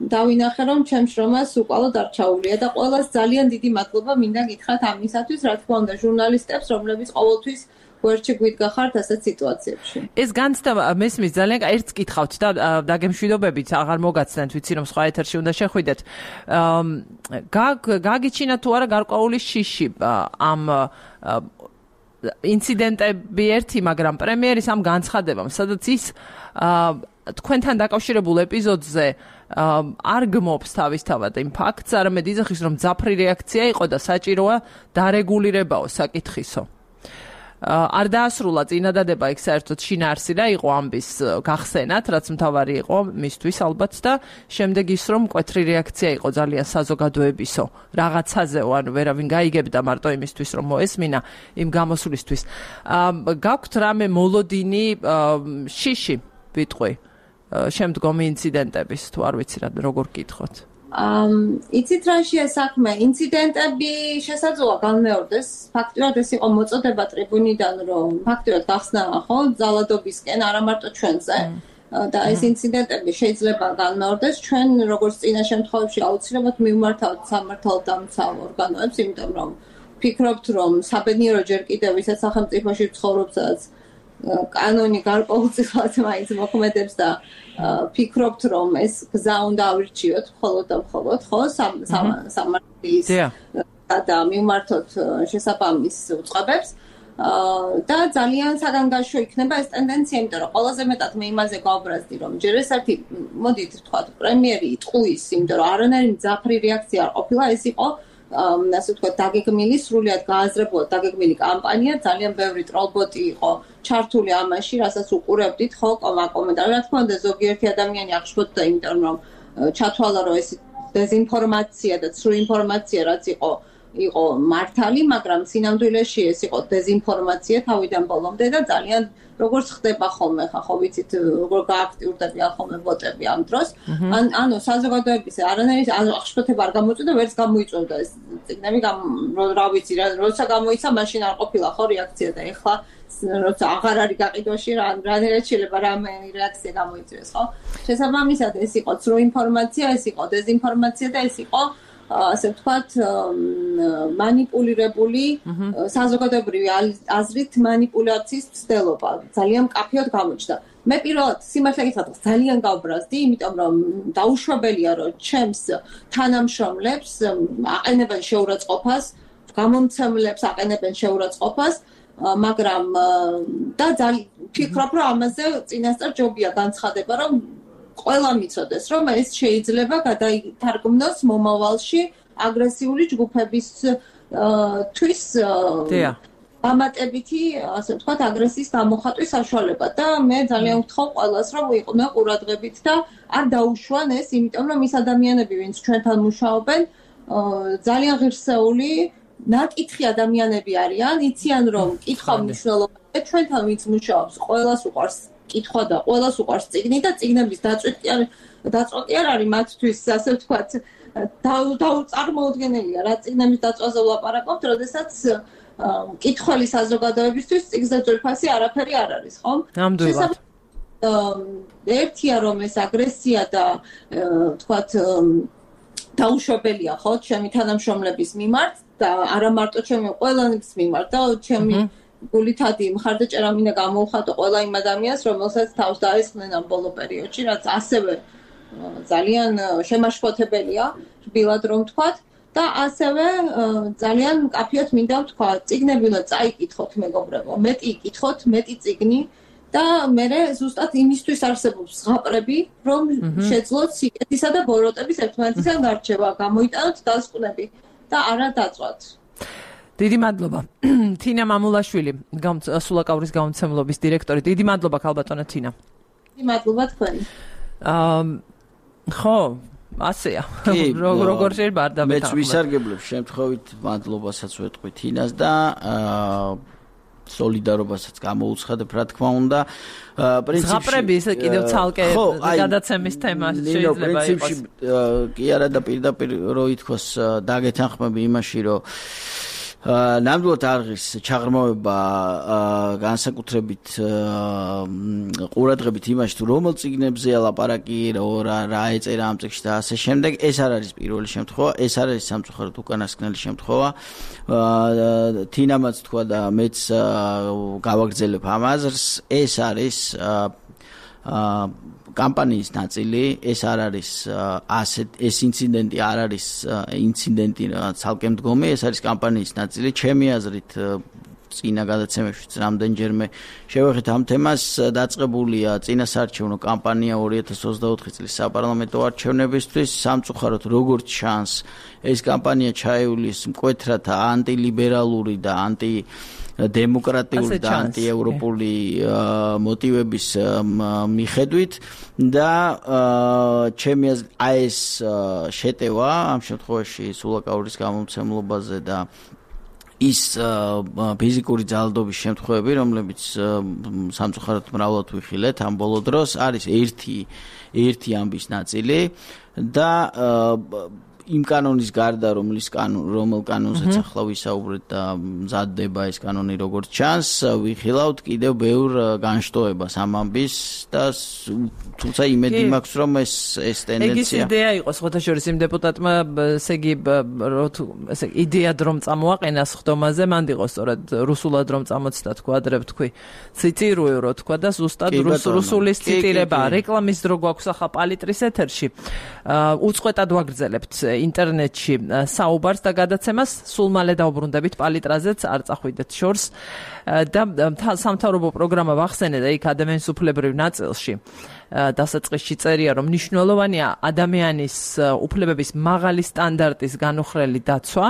დავინახე რომ ჩემ შრომას უკვალოდ არ ჩაუვლია და ყველას ძალიან დიდი მადლობა მინდა გითხრათ ამისათვის, რა თქმა უნდა ჟურნალისტებს, რომლებიც ყოველთვის გვერდში გვიდგახართ ასეთ სიტუაციებში. ეს განცდა მესმის ძალიან ერთს კითხავთ და დაგემშვიდობებით აღარ მოგაცდენთ, ვიცი რომ სხვა ეთერში უნდა შეხვიდეთ. გაგიჩინა თუ არა გარკვეული შიში ამ ინციდენტები ერთი, მაგრამ პრემიერის ამ განცხადებამ, სადაც ის თქვენთან დაკავშირებულ ეპიზოდზე არ გმობს თავისთავად იმ ფაქტს, არამედ იძახის რომ მძაფრი რეაქცია იყო და საჭიროა დარეგულირებაო საკითხისო. არ დაასრულა წინადადება იქ საერთოდ შინაარსი და იყო ამბის გახსენათ, რაც მთავარი იყო მისთვის ალბათ და შემდეგ ის რომ მკვეთრი რეაქცია იყო ძალიან საზოგადოებისო რაღაცაზეო, ანუ ვერავინ გაიგებდა მარტო იმისთვის რომ მოესმინა იმ გამოსვლისთვის. გაქვთ რამე მოლოდინი შიში ვიტყვი შემდგომი ინციდენტების თუ არ ვიცი რა როგორ გითხოთ. იცით რა შეა საქმე, ინციდენტები შესაძლოა განმეორდეს. ფაქტურად ეს იყო მოწოდება ტრიბუნიდან, რომ ფაქტურად გახსნა ხო ძალადობისკენ, არა მარტო ჩვენზე. და ეს ინციდენტები შეიძლება განმეორდეს. ჩვენ როგორც წინა შემთხვევებში აუცილებლად მივმართავთ სამართალდამცავ ორგანოებს, იმიტომ რომ ვფიქრობთ, რომ საბედნიერო ჯერ კიდევ ისაც სახელმწიფოში ცხოვრობს, სადაც კანონი გარკვეულწილად მაინც მოქმედებს და ფიქრობთ, რომ ეს გზა უნდა ავირჩიოთ მხოლოდ და მხოლოდ ხო სამართლის და მივმართოთ შესაბამის უწყებებს და ძალიან საგანგაშო იქნება ეს ტენდენცია, იმიტომ რომ ყველაზე მეტად მე იმაზე გავბრაზდი, რომ ჯერ ეს ერთი მოდით ვთქვათ პრემიერი იტყუის, იმიტომ რომ არანაირი მძაფრი რეაქცია არ ყოფილა, ეს იყო ასე ვთქვათ დაგეგმილი, სრულიად გააზრებულად დაგეგმილი კამპანია, ძალიან ბევრი ტროლბოტი იყო ჩართული ამაში, რასაც უყურებდით ხო კომენტარები. რა თქმა უნდა, ზოგიერთი ადამიანი აღშფოთდა, იმიტომ რომ ჩათვალა, რომ ეს დეზინფორმაცია და ცრუ ინფორმაცია რაც იყო მართალი, მაგრამ სინამდვილეში ეს იყო დეზინფორმაცია თავიდან ბოლომდე და ძალიან როგორც ხდება ხოლმე ხა ხო ვიცით როგორ გააქტიურდებიან ხოლმე ბოტები ამ დროს. ანუ საზოგადოების არანაირი აღშფოთება არ გამოიწვია, ვერც გამოიწვევდა ეს წიგნები, რა ვიცი რა, როცა გამოიცა, მაშინ არ ყოფილა ხო რეაქცია და ეხლა როცა აღარ არის გაყიდვაში რანაირად შეიძლება რამე რეაქცია გამოიწვიოს, ხო? შესაბამისად ეს იყო ცრუ ინფორმაცია, ეს იყო დეზინფორმაცია და ეს იყო ასე ვთქვათ მანიპულირებული საზოგადოებრივი აზრით მანიპულაციის მცდელობა ძალიან მკაფიოდ გამოჩნდა. მე პირველად სიმართლე გითხრათ ძალიან გავბრაზდი, იმიტომ რომ დაუშვებელია რომ ჩემს თანამშრომლებს აყენებენ შეურაცხყოფას, გამომცემლებს აყენებენ შეურაცხყოფას, მაგრამ და ფიქრობ რომ ამაზე წინასწარ ჯობია განცხადება, რომ ყველა მიცოდეს, რომ ეს შეიძლება გადაითარგმნოს მომავალში აგრესიული ჯგუფებისთვის დამატებითი, ასე ვთქვათ, აგრესიის გამოხატვის საშუალება და მე ძალიან ვთხოვ ყველას, რომ იყვნენ ყურადღებით და არ დაუშვან ეს, იმიტომ რომ ის ადამიანები, ვინც ჩვენთან მუშაობენ, ძალიან ღირსეული, ნაკითხი ადამიანები არიან, იციან რომ კითხვა მნიშვნელოვანია, ჩვენთან ვინც მუშაობს, ყველას უყვარს კითხვა და ყველას უყვარს წიგნი და წიგნების დაწვა კი არ არის მათთვის, ასე ვთქვათ, დაუწარმოუდგენელია რა წიგნების დაწვაზე ვლაპარაკობთ, როდესაც მკითხველი საზოგადოებისთვის წიგნზე ძვირფასი არაფერი არ არის, ხო? ნამდვილად. ერთია რომ ეს აგრესია და ვთქვათ დაუშვებელია, ხო, ჩემი თანამშრომლების მიმართ და არა მარტო ჩემი ყველანის მიმართ და ჩემი გულითადი მხარდაჭერა მინდა გამოვხატო ყველა იმ ადამიანს, რომელსაც თავს დაესხნენ ამ ბოლო პერიოდში, რაც ასევე ძალიან შემაშფოთებელია, რბილად რომ ვთქვათ და ასევე ძალიან მკაფიოდ მინდა ვთქვა, წიგნები უნდა წაიკითხოთ მეგობრებო, მეტი იკითხოთ, მეტი წიგნი და მე ზუსტად იმისთვის არსებობს ზღაპრები, რომ შეძლოთ სიკეთისა და ბოროტების ერთმანეთისგან გარჩევა, გამოიტანოთ დასკვნები და არა დაწვათ. დიდი მადლობა. თინა მამულაშვილი, სულაკაურის გამომცემლობის დირექტორი. დიდი მადლობა ქალბატონო თინა. დიდი მადლობა თქვენი. ხო, ასეა. როგორ შეიძლება არ დავეთანხმო. მეც ვისარგებლებ შემთხვევით მადლობასაც ვეთქვი თინას და სოლიდარობასაც გამოუცხადებ, რა თქმა უნდა. პრინციპში ზღაპრები ესე კიდევ ცალკე გადაცემის თემა შეიძლება იყოს. კი არა და პირდაპირ რო ითქვას დაგეთანხმები იმაში, რომ ნამდვილად არღის ჩაღრმავება განსაკუთრებით ყურადღებით იმაში თუ რომელ წიგნებზეა ლაპარაკი, რა ეწერა ამ წიგნში და ასე შემდეგ, ეს არ არის პირველი შემთხვევა, ეს არ არის სამწუხაროდ უკანასკნელი შემთხვევა. თინამაც თქვა და მეც გავაგრძელებ ამ აზრს, ეს არის კამპანიის ნაწილი, ეს არ არის ეს ინციდენტი არ არის ინციდენტი ცალკე მდგომი, ეს არის კამპანიის ნაწილი. ჩემი აზრით წინა გადაცემებში რამდენჯერმე შევეხეთ ამ თემას, დაწყებულია წინასაარჩევნო კამპანია 2024 წლის საპარლამენტო არჩევნებისთვის. სამწუხაროდ როგორც ჩანს, ეს კამპანია ჩაეულის მკვეთრად ანტილიბერალური და დემოკრატიული და ანტიევროპული მოტივების მიხედვით და ჩემი აზრით ეს შეტევა ამ შემთხვევაში სულაკაურის გამომცემლობაზე და ის ფიზიკური ძალადობის შემთხვევები, რომლებიც სამწუხაროდ მრავლად ვიხილეთ ამ ბოლო დროს, არის ერთი ამბის ნაწილი და იმ კანონის გარდა, რომელ კანონზეც ახლა ვისაუბრეთ და მზადდება ეს კანონი როგორც ჩანს, ვიხილავთ კიდევ ბევრ განშტოებას ამ ამბის და თუმცა იმედი მაქვს, რომ ეს ტენდენცია. ეგ ის იდეა იყო, ხოთაშორის იმ დეპუტატმა, ესე იგი, იდეა რომ წამოაყენას ხდომაზე, მანდ იყო სწორად რუსულად რომ წამოწდა თქვა, ადრე ვთქვი, ციტირую რო თქვა და ზუსტად რუსულის ციტირება, რეკლამის დრო გვაქვს ახლა პალიტრის ეთერში. უწყვეტად ვაგრძელებთ ინტერნეტში საუბარს და გადაცემას სულ მალე დავბრუნდებით პალიტრაზეც არ წახვიდეთ შორს და სამთავრობო პროგრამა ვახსენე და იქ ადამიანის უფლებრივ ნაწილში დასაწყისში წერია რომ მნიშვნელოვანია ადამიანის უფლებების მაღალი სტანდარტის განუხრელი დაცვა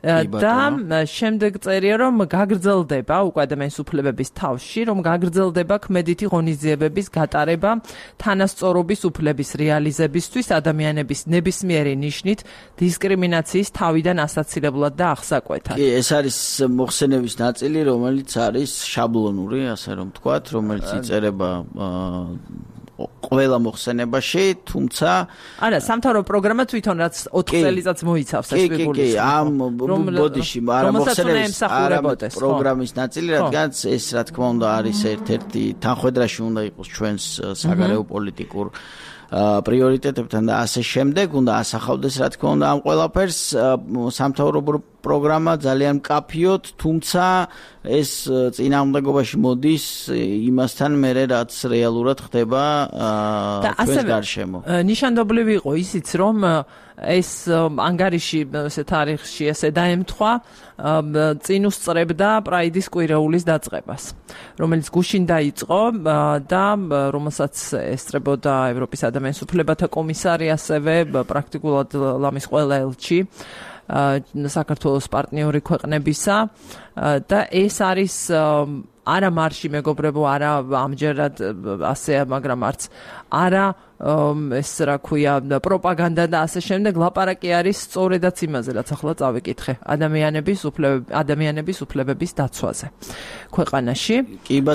და შემდეგ წერია რომ გაგრძელდება უკვე ადამიანის უფლებების თავში რომ გაგრძელდება ქმედითი ღონისძიებების გატარება თანასწორობის უფლების რეალიზებისთვის ადამიანების ნებისმიერი ნიშნით დისკრიმინაციის თავიდან ასაცილებლად და აღსაკვეთად. კი, ეს არის მოხსენების ნაწილი, რომელიც არის შაბლონური, ასე რომ ვთქვათ, რომელიც იწერება ყველა მოხსენებაში, თუმცა არა, სამთავრობო პროგრამა თვითონ რაც 4 წელიწადს მოიცავს ეს ფიგურის. კი, ამ ბოდიში, არა მოხსენების პროგრამის ნაწილი, რადგან ეს რა თქმა უნდა არის ერთ-ერთი თანხwebdriverში უნდა იყოს ჩვენს საგარეო პოლიტიკურ პრიორიტეტებთან და ასე შემდეგ, უნდა ასახავდეს რა თქმა უნდა ამ ყველაფერს სამთავრობო პროგრამა ძალიან მკაფიოდ, თუმცა ეს წინააღმდეგობაში მოდის იმასთან მერე რაც რეალურად ხდება ჩვენს გარშემო. ნიშანდობლივი იყო ისიც რომ ეს ანგარიში ესე თარიღში ესე დაემთხვა წინ უსწრებდა პრაიდის კვირეულის დაწყებას, რომელიც გუშინ დაიწყო და რომელსაც ესწრებოდა ევროპის ადამიანის უფლებათა კომისარი, ასევე პრაქტიკულად ლამის ყველა ელჩი საქართველოს პარტნიორი ქვეყნებისა და ეს არის არა მარში მეგობრებო, არა ამჯერად ასეა, მაგრამ არც არა ეს რა ქვია პროპაგანდა და ასე შემდეგ, ლაპარაკი არის სწორედაც იმაზე, რაც ახლა წავიკითხე, ადამიანების უფლებების დაცვაზე ქვეყანაში.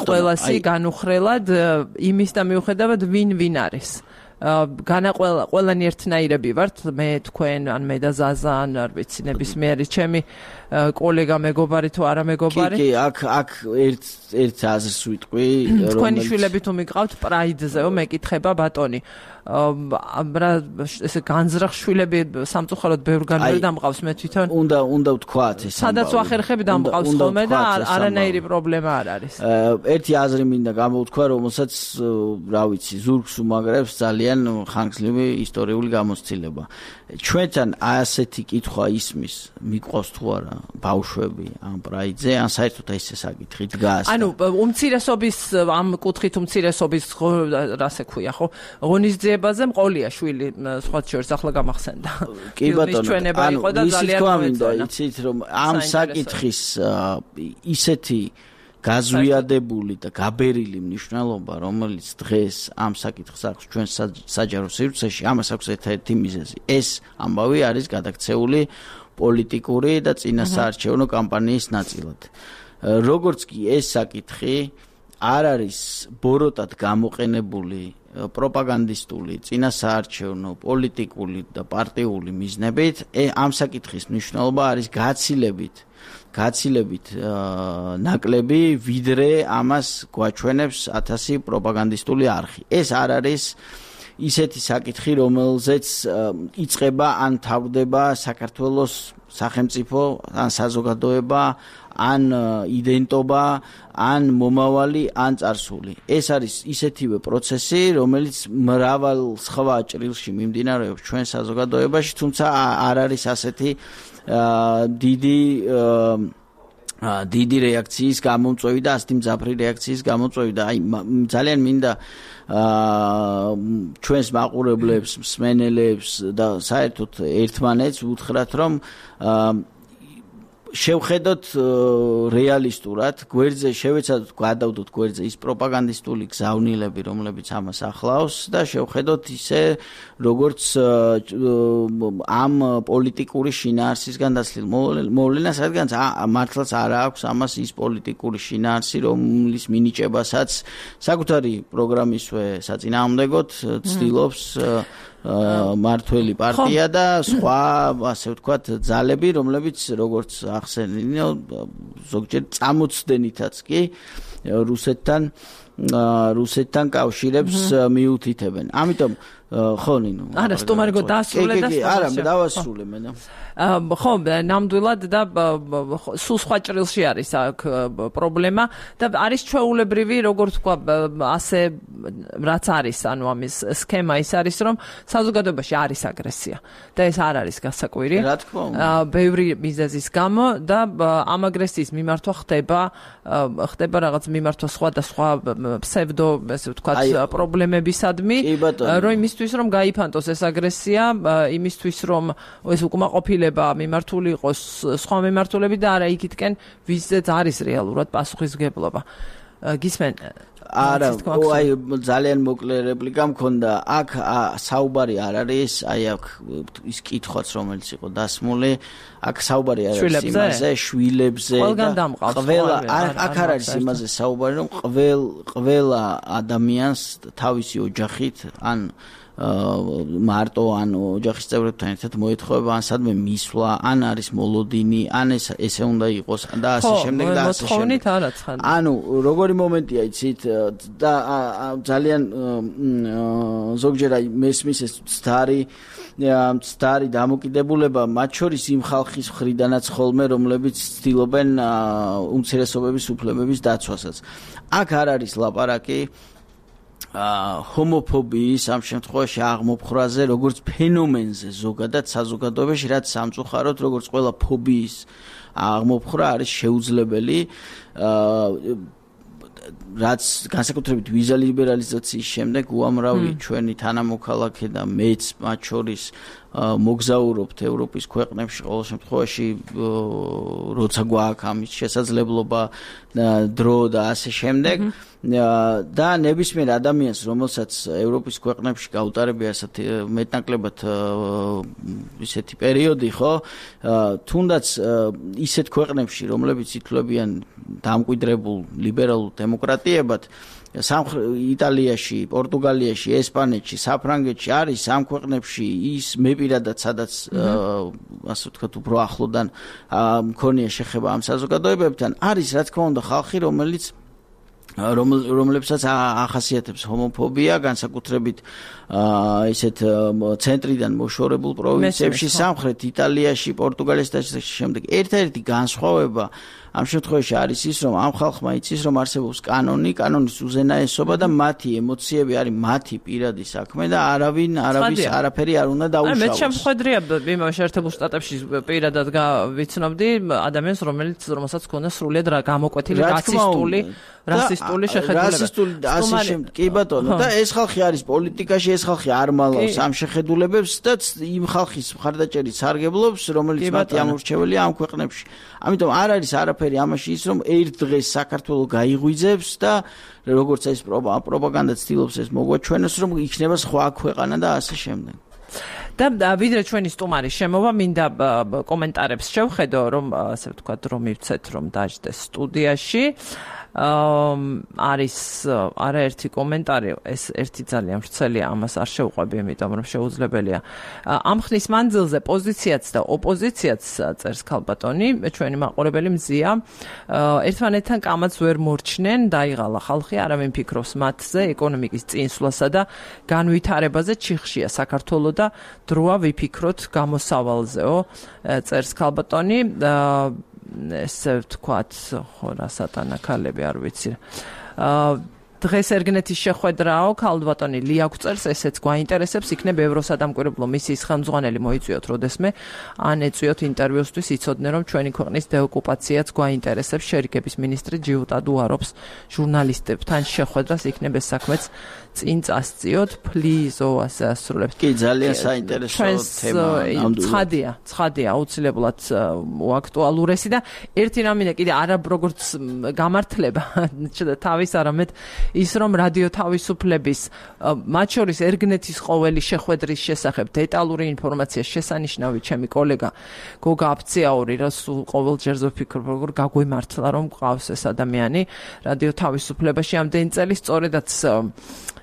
ყველასი განუხრელად იმის და მიუხედავად ვინ არის. ყველანი ერთნაირები ვართ, მე თქვენ, ან მე და ზაზა, ან არ ვიცი, ნებისმიერი ჩემი კოლეგა, მეგობარი თუ არა მეგობარი. კი, აქ ერთ აზრს ვიტყვი, თქვენი შვილები თუ მიყავთ პრაიდზეო, მეკითხება ბატონი. ესე განზრახ შვილები სამწუხაროდ ბევრგან ვერ დამყავს, მე თვითონ უნდა ვთქვათ ეს. სადაც ვახერხები დამყავს ხოლმე და არანაირი პრობლემა არ არის. ერთი აზრი მინდა გამოვთქვა, რომელსაც რა ვიცი, ზურგს უმაგრებს ძალიან ხანგრძლივი ისტორიული გამოცდილება. ჩვენთან ასეთი კითხვა ისმის, მიყვავს თუ არა ბავშვები ამ პრაიდზე, ან საერთოდ ესე საკითხი დგას. ანუ უმცირესობის ამ კუთხით უმცირესობის რასე ქვია, ხო? ღონისძიებაზე მყოლია შვილი, სხვა შორის ახლა გამახსენდა. კი ბატონო, ჩვენება იყო და ძალიან მოეწონა. იცით რომ ამ საკითხის ისეთი გაზვიადებული და გაბერილი მნიშვნელობა, რომელიც დღეს ამ საკითხს აქვს ჩვენ საჯარო სივრცეში, ამას აქვს ერთ-ერთი მიზეზი. ეს ამბავი არის გადაქცეული პოლიტიკური და წინასაარჩევნო კამპანიის ნაწილად. როგორც კი ეს საკითხი არ არის ბოროტად გამოყენებული პროპაგანდისტული, წინასაარჩევნო, პოლიტიკური და პარტიული მიზნებით, ამ საკითხის მნიშვნელობა არის გაცილებით ნაკლები, ვიდრე ამას გვაჩვენებს 1000 პროპაგანდისტული არხი. ეს არ არის ისეთი საკითხი, რომელზეც იწყება ან თავდება საქართველოს სახელმწიფო, ან საზოგადოება, ან იდენტობა, ან მომავალი, ან წარსული. ეს არის ისეთივე პროცესი, რომელიც მრავალ სხვა ჭრილში მიმდინარეობს ჩვენ საზოგადოებაში, თუმცა არ არის ასეთი დიდი რეაქციის გამომწვევი და ასეთი მძაფრი რეაქციის გამომწვევი და ძალიან მინდა ჩვენს მაყურებლებს, მსმენელებს და საერთოდ ერთმანეთს უთხრათ, რომ შევხედოთ რეალისტურად, გვერდზე შევეცადოთ გადავდოთ გვერდზე ის პროპაგანდისტული გზავნილები, რომლებიც ამას ახლავს და შევხედოთ ისე, როგორც ამ პოლიტიკური შინაარსისგან დაცლილ მოვლენას, რადგანაც მართლაც არ აქვს ამას ის პოლიტიკური შინაარსი, რომლის მინიჭებასაც საკუთარი პროგრამისვე საწინააღმდეგოდ ცდილობს მართველი პარტია და სხვა, ასე ვთქვათ, ძალები, რომლებიც როგორც ახსენინო, ზოგჯერ წამოწდენითაც კი რუსეთთან კავშირებს მიუთითებენ. ამიტომ ხო ნინო. არა, სტუმარგო დაასრულე და არა, დავასრულე მე. ხო, ნამდვილად და სულ სხვა ჭრილში არის აქ პრობლემა და არის ჩვეულებრივი, როგორც თქვა, ასე რაც არის, ანუ ამის სქემა ის არის, რომ საზოგადოებაში არის აგრესია და ეს არ არის გასაკვირი. რა თქმა უნდა. ბევრი მიზეზის გამო და ამ აგრესიის მიმართვა ხდება რაღაც მიმართვა სხვადასხვა ფსევდო, ესე ვთქვათ, პრობლემებისადმი, რომ იმისთვის რომ გაიფანტოს ეს აგრესია, იმისთვის რომ ეს უკმაყოფილება მიმართული იყოს სხვა მიმართულებით და არა იქითკენ ვიზეც არის რეალურად პასუხისმგებლობა. გისმენ? არა, აი ძალიან მოკლე რეპლიკა მქონდა. აქ საუბარი არ არის, აი აქ ის კითხვაც რომელიც იყო დასმული, აქ საუბარი არ არის იმაზე, შვილებზე და ყველა აქ არ არის იმაზე საუბარი, რომ ყველა ადამიანს თავისი ოჯახით ან მარტო ან ოჯახის წევრებთან ერთად მოეთხოვება ან სადმე მისვლა, ან არის მოლოდინი, ან ესე უნდა იყოს და ასე შემდეგ და ასე შემდეგ. ანუ როგორი მომენტია იცით და ძალიან ზოგჯერ აი მესმის ეს მცდარი დამოკიდებულება მათ შორის იმ ხალხის მხრიდანაც ხოლმე, რომლებიც ცდილობენ უმცირესობების უფლებების დაცვასაც. აქ არ არის ლაპარაკი ჰომოფობიის ამ შემთხვევაში აღმოფხრაზე, როგორც ფენომენზე ზოგადად საზოგადოებაში, რაც სამწუხაროდ, როგორც ყველა ფობიის აღმოფხრა არის შეუძლებელი, რაც განსაკუთრებით ვიზა ლიბერალიზაციის შემდეგ უამრავი ჩვენი თანამოქალაქე და მეც მათ შორის მოგზაურობთ ევროპის ქვეყნებში, ყოველ შემთხვევაში როცა გვაქვს ამის შესაძლებლობა, დრო და ასე შემდეგ. და ნებისმიერ ადამიანს, რომელსაც ევროპის ქვეყნებში გაუტარებია ასეთი მეტნაკლებად ისეთი პერიოდი, ხო? თუნდაც ისეთ ქვეყნებში, რომლებიც ითვლებიან დამკვიდრებულ ლიბერალურ დემოკრატიებად, იტალიაში, პორტუგალიაში, ესპანეთში, საფრანგეთში არის ამ ქვეყნებში ის მე პირადად სადაც ასე ვთქვათ, უფრო ახლოდან მქონია შეხება ამ საზოგადოებებთან, არის რა თქმა უნდა ხალხი, რომლებსაც ახასიათებს ჰომოფობია, განსაკუთრებით ისეთ ცენტრიდან მოშორებულ პროვინციებში, სამხრეთ იტალიაში, პორტუგალიაში და შემდეგ. ერთ-ერთი განსხვავება ამ შემთხვევაში არის ის, რომ ამ ხალხმა იცის, რომ არსებობს კანონის უზენაესობა და მათი ემოციები არის მათი პირადი საქმე და არაფერი არ უნდა დაუშავოს. მე შემხედრია იმავე შეერთებულ შტატებში პირადად ვიცნობდი ადამიანს, რომელსაც ჰქონდა სრულიად გამოკვეთილი რასისტული შეხედულება. რასისტული და ასე შემდეგ. კი ბატონო, და ეს ხალხი არის პოლიტიკაში, ეს ხალხი არ მალავს ამ შეხედულებებს და იმ ხალხის მხარდაჭერით სარგებლობს, რომელიც მათი ამორჩეველია ამ ქვეყნებში. ამიტომ არ არის არაფერი ამაში ის, რომ ერთ დღეს საქართველოს გაიღვიძებს და როგორც ეს პროპაგანდა ცდილობს ეს მოგვაჩვენოს, რომ იქნება სხვა ქვეყანა და ასე შემდეგ. და ვიდრე ჩვენი სტუმარი შემოვა, მინდა კომენტარებს შევხედო, რომ ასე ვთქვათ, რომ მივცეთ, რომ დაждდეს სტუდიაში. არის არაერთი კომენტარი, ეს ერთი ძალიან ვრცელია, ამას არ შევყვები, იმიტომ რომ შეუძლებელია. ამ ხნის მანძილზე პოზიციაც და ოპოზიციაც წერს ქალბატონი, ჩვენი მაყურებელი მზია, ერთმანეთთან კამაც ვერ მორჩნენ, დაიღალა ხალხი, არავინ ფიქრობს მათზე, ეკონომიკის წინსვლასა და განვითარებაზე ჩიხშია საქართველოს და დროა ვიფიქროთ გამოსავალზეო, წერს ქალბატონი. ესე ვთქვათ, ხო რა სატანა ქალები არ ვიცი. დღეს ერგნეთის შეხვედრაო, ქალბატონი ლია გვწერს, ესეც გვაინტერესებს, იქნებ ევროსადამკვირვებლო მისიის ხელმძღვანელი მოიწვიოთ როდესმე, ან ეწვიოთ ინტერვიუსთვის, იცოდნენ, რომ ჩვენი ქვეყნის დეოკუპაციაც გვაინტერესებს, შერიგების მინისტრი ჯიუტა დუარობს ჟურნალისტებთან შეხვედრას, იქნებ ეს საქმეც წინ წასწიოთ, ფლიზო ასე ასრულებს. კი, ძალიან საინტერესო თემა. ცხადია, აუცილებლად აქტუალურესი და ერთი რამე კიდე არა როგორც გამართლება, თავის არამედ ის რომ რადიო თავისუფლების მათ შორის ერგნეთის ყოველი შეხვედრის შესახებ დეტალური ინფორმაცია შესანიშნავი ჩემი კოლეგა გოგა აფციაური რა სულ ყოველჯერზე ვფიქრობ როგორ გაგვიმართლა რომ ყავს ეს ადამიანი რადიო თავისუფლებაში ამდენი წელი სწორედაც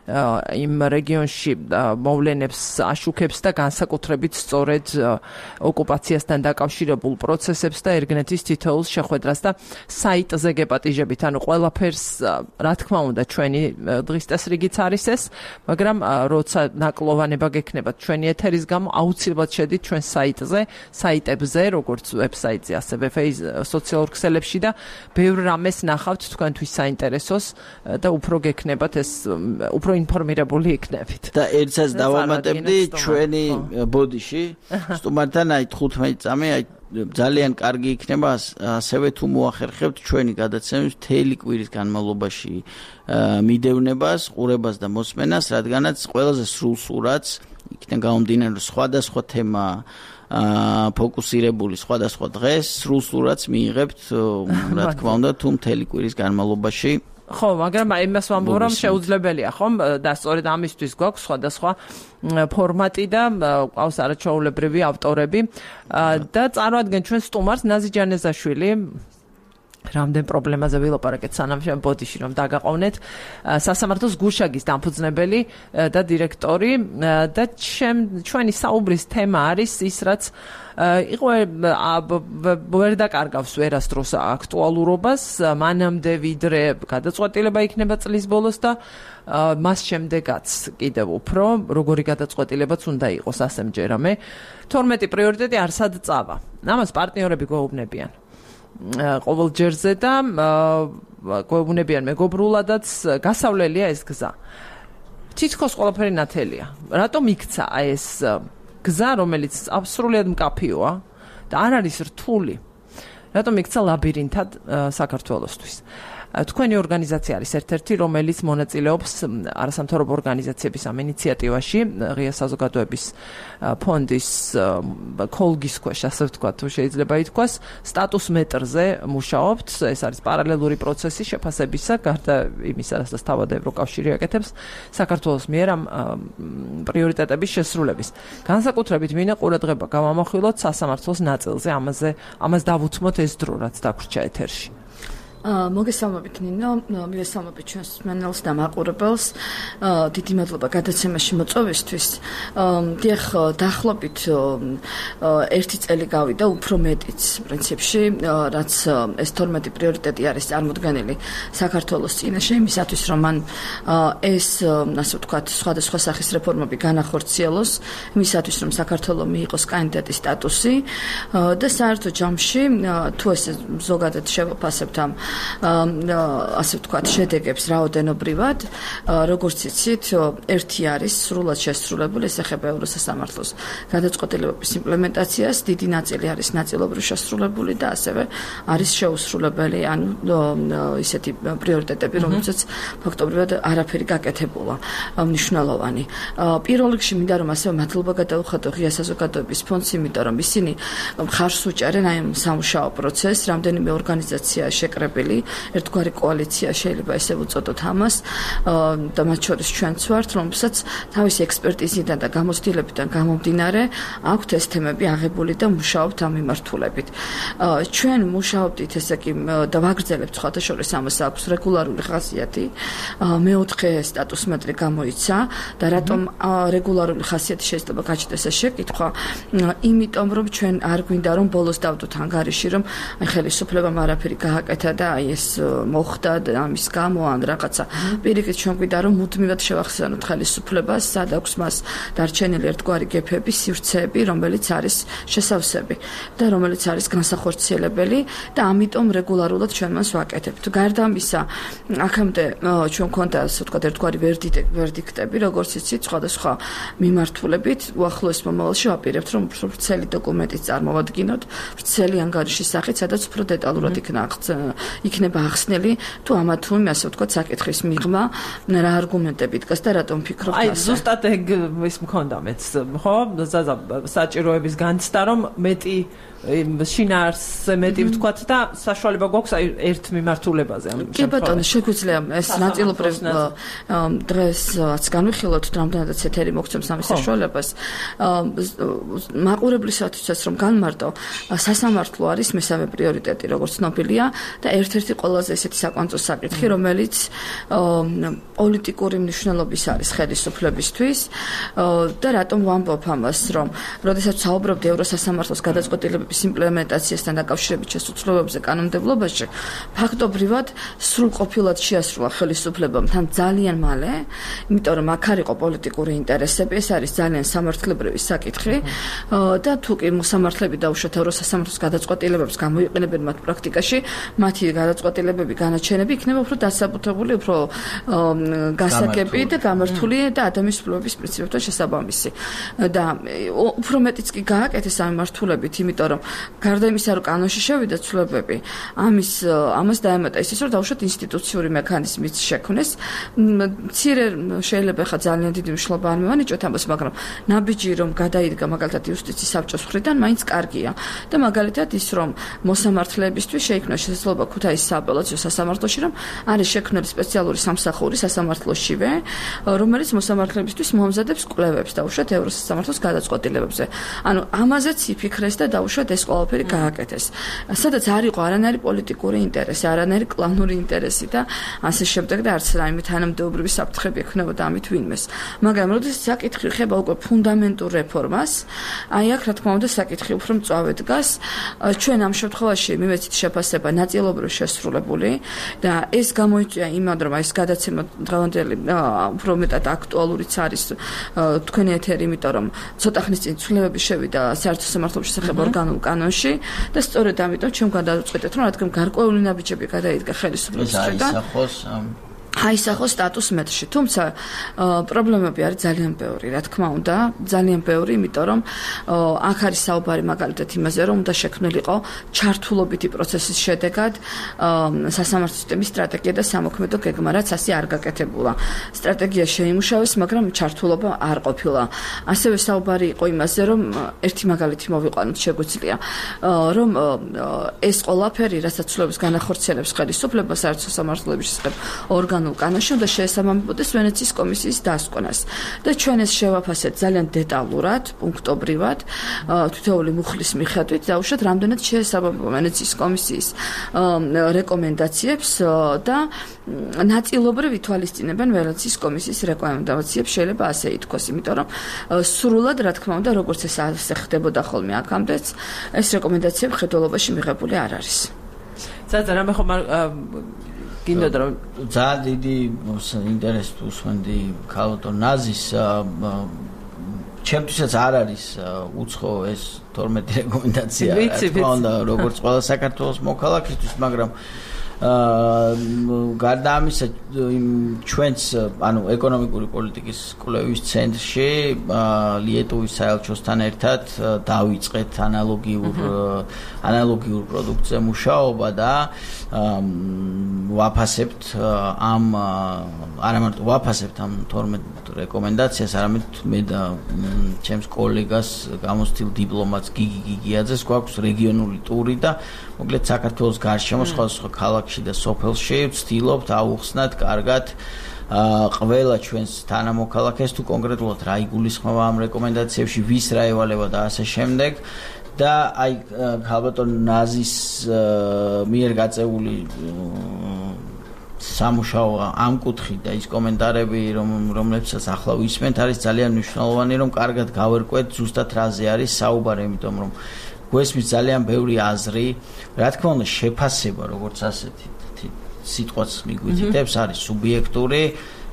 იმ რეგიონში მოვლენებს აშუქებს და განსაკუთრებით სწორედ ოკუპაციასთან დაკავშირებულ პროცესებს და ერგნეთის თითოეულ შეხვედრას და საიტზე გეპატიჟებით, ანუ ყველაფერს რა თქმა უნდა ჩვენი დღის წესრიგიც არის ეს, მაგრამ როცა ნაკლოვანება გექნებათ ჩვენი ეთერის გამო, აუცილებლად შედით ჩვენ საიტებზე, როგორც ვებსაიტზე, ასევე სოციალურ ქსელებში და ბევრ რამეს ნახავთ თქვენთვის საინტერესოს და უფრო გექნებათ ეს უფრო ინფორმირებული იქნებით. და ერთსაც დავამატებდი ჩვენი ბოდიში, სტუმართან აი 15 წამი, აი ძალიან კარგი იქნება ასევე თუ მოახერხებთ ჩვენი გადაცემის მთელი კვირის განმავლობაში მიდევნებას, ყურებას და მოსმენას, რადგანაც ყველაზე სრულ სურათს იქიდან გამომდინარე რომ სხვადასხვა თემა ფოკუსირებული სხვადასხვა დღეს სრულ სურათს მიიღებთ, რა თქმა უნდა, თუ მთელი კვირის განმავლობაში ხო, მაგრამ იმას ვამბობ, რომ შეუძლებელია, ხომ? და სწორედ ამისთვის გვაქვს სხვადასხვა ფორმატი და ყავს არაჩვეულებრივი ავტორები და წარმოადგენ ჩვენ სტუმარს ნაზი ჯანეზაშვილი რამდენ პრობლემაზე ვილაპარაკეთ სანამ შენ ბოდიში რომ დაგაყოვნეთ სასამართლოს გუშაგის დამფუძნებელი და დირექტორი და ჩვენი საუბრის თემა არის ის რაც იყო ვერ დაკარგავს ვერასდროს აქტუალურობას მანამდე ვიდრე გადაწყვეტილება იქნება წლის ბოლოს და მას შემდეგაც კიდევ უფრო როგორი გადაწყვეტილებაც უნდა იყოს ასე მჯერამე 12 პრიორიტეტი არსად წავა ამას პარტნიორები გვეუბნებიან ყოველ ჯერზე და გვეუბნებიან მეგობრულადაც გასავლელია ეს გზა. თითქოს ყველაფერი ნათელია. რატომ იქცა ეს გზა, რომელიც აბსოლუტურად მკაფიოა და არ არის რთული? რატომ იქცა ლაბირინთად საქართველოსთვის? თქვენი ორგანიზაცია არის ერთ-ერთი, რომელიც მონაწილეობს არასამთავრობო ორგანიზაციების ამ ინიციატივაში, ღია საზოგადოების ფონდის კოლგის ქვეშ, ასე ვთქვათ, თუ შეიძლება ითქვას, სტატუს მეტრზე მუშაობთ. ეს არის პარალელური პროცესი შეფასებისა, გარდა იმისა, რასაც თავად ევროკავშირი აკეთებს, საქართველოს მიერ ამ პრიორიტეტების შესრულების. განსაკუთრებით მინდა ყურადღება გავამახვილოთ სასამართლოს ნაწილზე, ამას დავუთმოთ ეს დრო, რაც დაგვრჩა ეთერში. მოგესალმებით ნინო, მივესალმებით ჩვენს მსმენელს და მაყურებელს. დიდი მადლობა გადაცემაში მოწვევისთვის. დიახ, დაახლოებით 1 წელი გავიდა, უფრო მეტიც პრინციპში, რაც ეს 12 პრიორიტეტი არის წარმოდგენილი საქართველოს წინაშე იმისათვის, რომ მან ეს, ასე ვთქვათ, სხვადასხვა სახის რეფორმები განახორციელოს, იმისათვის, რომ საქართველო მიიღოს კანდიდატის სტატუსი და საერთო ჯამში, თუ ესე ზოგადად შევაფასებთ ამ ასე ვთქვათ შედეგებს რაოდენობრივად როგორც იცით ერთი არის სრულად შესრულებული ეს ეხება ევროსასამართლოს გადაწყვეტილებების იმპლემენტაციას დიდი ნაწილი არის ნაწილობრივ შესრულებული და ასევე არის შეუსრულებელი ანუ ისეთი პრიორიტეტები რომელსაც ფაქტობრივად არაფერი გაკეთებულა მნიშვნელოვანი პირველ რიგში მინდა რომ ასევე მადლობა გადავუხადო ღია საზოგადოების ფონდს იმიტომ რომ ისინი ხარს უჭერენ აი ამ სამუშაო პროცესს რამდენიმე ორგანიზაცია შეკრებილი ერთგვარი კოალიცია შეიძლება ესე ვუწოდოთ ამას და მათ შორის ჩვენც ვართ, რომელსაც თავისი ექსპერტიზიდან და გამოცდილებიდან გამომდინარე აქვთ ეს თემები აღებული და მუშაობთ ამ მიმართულებით. ჩვენ მუშაობთ ესე კი და ვაგრძელებთ სხვათა შორის ამას აქვს რეგულარული ხასიათი. მეოთხე სტატუს მეტრი გამოიცა და რატომ რეგულარული ხასიათი შეიძლება გაჩნდეს ეს შეკითხვა? იმიტომ რომ ჩვენ არ გვინდა რომ ბოლოს დავდოთ ანგარიში რომ ხელისუფლებამ არაფერი გააკეთა და აი ეს მოხდა ამის გამო ან რაღაცა პირიქით ჩვენ გვიდა რომ მუდმივად შევახსენოთ ხელისუფლებას სად აქვს მას დარჩენილი ერთგვარი გეფები სივრცეები რომელიც არის შესავსები და რომელიც არის განსახორციელებელი და ამიტომ რეგულარულად ჩვენ მას ვაკეთებთ გარდა ამისა აქამდე ჩვენ გვქონდა ასე ვთქვათ ერთგვარი ვერდიქტები როგორც იცით სხვადასხვა მიმართულებით უახლოეს მომავალში ვაპირებთ რომ უფრო ვრცელი დოკუმენტიც წარმოვადგინოთ ვრცელი ანგარიშის სახით სადაც უფრო დეტალურად იქნება ახსნილი თუ ამა თუ იმ ასე ვთქვათ საკითხის მიღმა რა არგუმენტები დგას და რატომ ფიქრობთ აი ზუსტად ის მქონდა მეც ხო საჭიროების განცდა რომ მეტი შინაარსზე მეტი ვთქვათ და საშუალება გვაქვს აი ერთ მიმართულებაზე ამ შემთხვევაში. კი ბატონო, შეგვიძლია ეს ნაწილობრივ დღესაც განვიხილოთ, რამდენადაც ეთერი მოგცემს ამის საშუალებას. მაყურებლისათვისაც რომ განმარტო, სასამართლო არის მესამე პრიორიტეტი, როგორც ცნობილია და ერთ-ერთი ყველაზე ესეთი საკვანძო საკითხი, რომელიც პოლიტიკური მნიშვნელობის არის ხელისუფლებისთვის და რატომ ვამბობ ამას, რომ როდესაც საუბრობთ ევროსასამართლოს გადაწყვეტილებების იმპლემენტაციასთან დაკავშირებით შესაძლებლობებზე კანონმდებლობაში, ფაქტობრივად სრულყოფილად შეასრულა ხელისუფლებამ თან ძალიან მალე, იმიტომ რომ აქ არ იყო პოლიტიკური ინტერესები, ეს არის ძალიან სამართლებრივი საკითხი და თუ კი მოსამართლეები დაუშვათ ევროსასამართლოს გადაწყვეტილებებს გამოიყენებენ მათ პრაქტიკაში, მათი გადაწყვეტილებები განაჩენები იქნება უფრო დასაბუთებული, უფრო გასაგები და გამართული და ადამიანის უფლებების პრინციპებთან შესაბამისი. და უფრო მეტიც კი გააკეთეს ამ მიმართულებით, იმიტომ რომ გარდა იმისა, რომ კანონში შევიდა ცვლილებები, ამას დაემატა ის, რომ დაუშვათ ინსტიტუციური მექანიზმიც შექმნეს. მცირე შეიძლება ხა ძალიან დიდი მნიშვნელობა არ მივანიჭოთ ამას, მაგრამ ნაბიჯი რომ გადაიდგა მაგალითად იუსტიციის საბჭოს მხრიდან, მაინც კარგია. და მაგალითად ის, რომ მოსამართლეებისთვის შეიქმნა შესაძლებლობა ქუთაისის სააპელაციო სასამართლოში, რომ არის შექმნილი სპეციალური სამსახური სასამართლოშივე, რომელიც მოსამართლეებისთვის მოამზადებს კვლევებს დაუშვათ ევროსასამართლოს გადაწყვეტილებებზე. ანუ ამაზეც იფიქრეს და დაუშვათ ეს ყველაფერი გააკეთეს. სადაც არ იყო არანაირი პოლიტიკური ინტერესი, არანაირი კლანური ინტერესი და ასე შემდეგ და არც რაიმე თანამდებობრივი საფრთხები ექნებოდა ამით ვინმეს. მაგრამ როდესაც საკითხი ხება უკვე ფუნდამენტურ რეფორმას, აი აქ რა თქმა უნდა საკითხი უფრო მწვავე დგას. ჩვენ ამ შემთხვევაში მივეცით შეფასება ნაწილობრივ შესრულებული და ეს გამოიწვია იმად, რომ ეს გადაცემა დღევანდელი უფრო მეტად აქტუალურიც არის თქვენი ეთერი, იმიტომ რომ ცოტა ხნის წინ ცვლილებები შევიდა საერთო სამართლობის შესახებ ორგანულ კანონში და სწორედ ამიტომ ჩვენ გადავწყვეტეთ, რომ რადგან გარკვეული ნაბიჯები გადაიდგა ხელისუფლების მხრიდან აისახოს სტატუს მეტრში. თუმცა პრობლემები არის ძალიან ბევრი, რა თქმა უნდა, ძალიან ბევრი, იმიტომ რომ აქ არის საუბარი მაგალითად იმაზე, რომ უნდა შექმნილიყო ჩართულობითი პროცესის შედეგად სასამართლო სისტემის სტრატეგია და სამოქმედო გეგმა, რაც ასე არ გაკეთებულა. სტრატეგია შეიმუშავეს, მაგრამ ჩართულობა არ ყოფილა. ასევე საუბარი იყო იმაზე, რომ ერთი მაგალითი მოვიყვანოთ შეგვიძლია, რომ ეს ყველაფერი, რასაც ცვლილების განახორციელებს ხელისუფლება საერთო სამართლების შესახებ ორგანულ კანონში უნდა შეესაბამებოდეს ვენეციის კომისიის დასკვნას. და ჩვენ ეს შევაფასეთ ძალიან დეტალურად, პუნქტობრივად, თითოეული მუხლის მიხედვით, დაუშვათ რამდენად შეესაბამება ვენეციის კომისიის რეკომენდაციებს და ნაწილობრივ ითვალისწინებენ ვენეციის კომისიის რეკომენდაციებს, შეიძლება ასე ითქვას, იმიტომ რომ სრულად, რა თქმა უნდა, როგორც ეს ასე ხდებოდა ხოლმე აქამდეც, ეს რეკომენდაციები ხედველობაში მიღებული არ არის. ზადა რამე ხომ გინდოდა რომ ძალიან დიდი ინტერესით უსმენდი ქალბატონ ნაზის ჩემთვისაც არ არის უცხო ეს 12 რეკომენდაცია რა თქმა უნდა როგორც ყველა საქართველოს მოქალაქისთვის მაგრამ გარდა ამისა ჩვენც ანუ ეკონომიკური პოლიტიკის კვლევის ცენტრში ლიეტუვის საელჩოსთან ერთად დავიწყეთ ანალოგიურ პროდუქტზე მუშაობა და ვაფასებთ ამ არამარტო ვაფასებთ ამ 12 რეკომენდაციას, არამედ მე და ჩემს კოლეგას გამოცდილ დიპლომატს გიგი გიგიაძეს გვაქვს რეგიონული ტური და მოკლედ საქართველოს გარშემო სხვადასხვა ქალაქში და სოფელში ვცდილობთ აუხსნათ კარგად ყველა ჩვენს თანამოქალაქეს თუ კონკრეტულად რა იგულისხმება ამ რეკომენდაციებში, ვის რა ევალება და ასე შემდეგ. და აი ქალბატონ ნაზის მიერ გაწეული სამუშაო ამ კუთხით და ის კომენტარები რომლებსაც ახლა ვისმენთ არის ძალიან მნიშვნელოვანი რომ კარგად გავერკვეთ ზუსტად რაზე არის საუბარი, იმიტომ რომ გვესმის ძალიან ბევრი აზრი, რა თქმა უნდა შეფასება როგორც ასეთი სიტყვაც მიგვითითებს, არის სუბიექტური.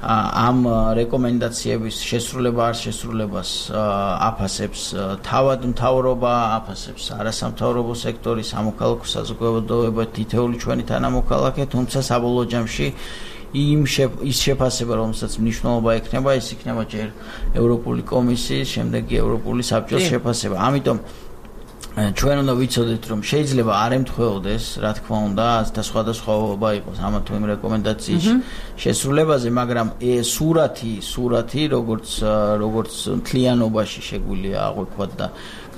ამ რეკომენდაციების შესრულება არ შესრულებას აფასებს თავად მთავრობა, აფასებს არასამთავრობო სექტორი, სამოქალაქო საზოგადოება, თითოეული ჩვენი თანამოქალაქე, თუმცა საბოლოო ჯამში ის შეფასება, რომელსაც მნიშვნელობა ექნება, ის იქნება ჯერ ევროპული კომისიის, შემდეგ კი ევროპული საბჭოს შეფასება. ამიტომ ჩვენ უნდა ვიცოდეთ, რომ შეიძლება არ ემთხვეოდეს, რა თქმა უნდა, და სხვადასხვაობა იყოს ამა თუ იმ რეკომენდაციის შესრულებაზე, მაგრამ სურათი, როგორც მთლიანობაში შეგვიძლია აღვიქვათ და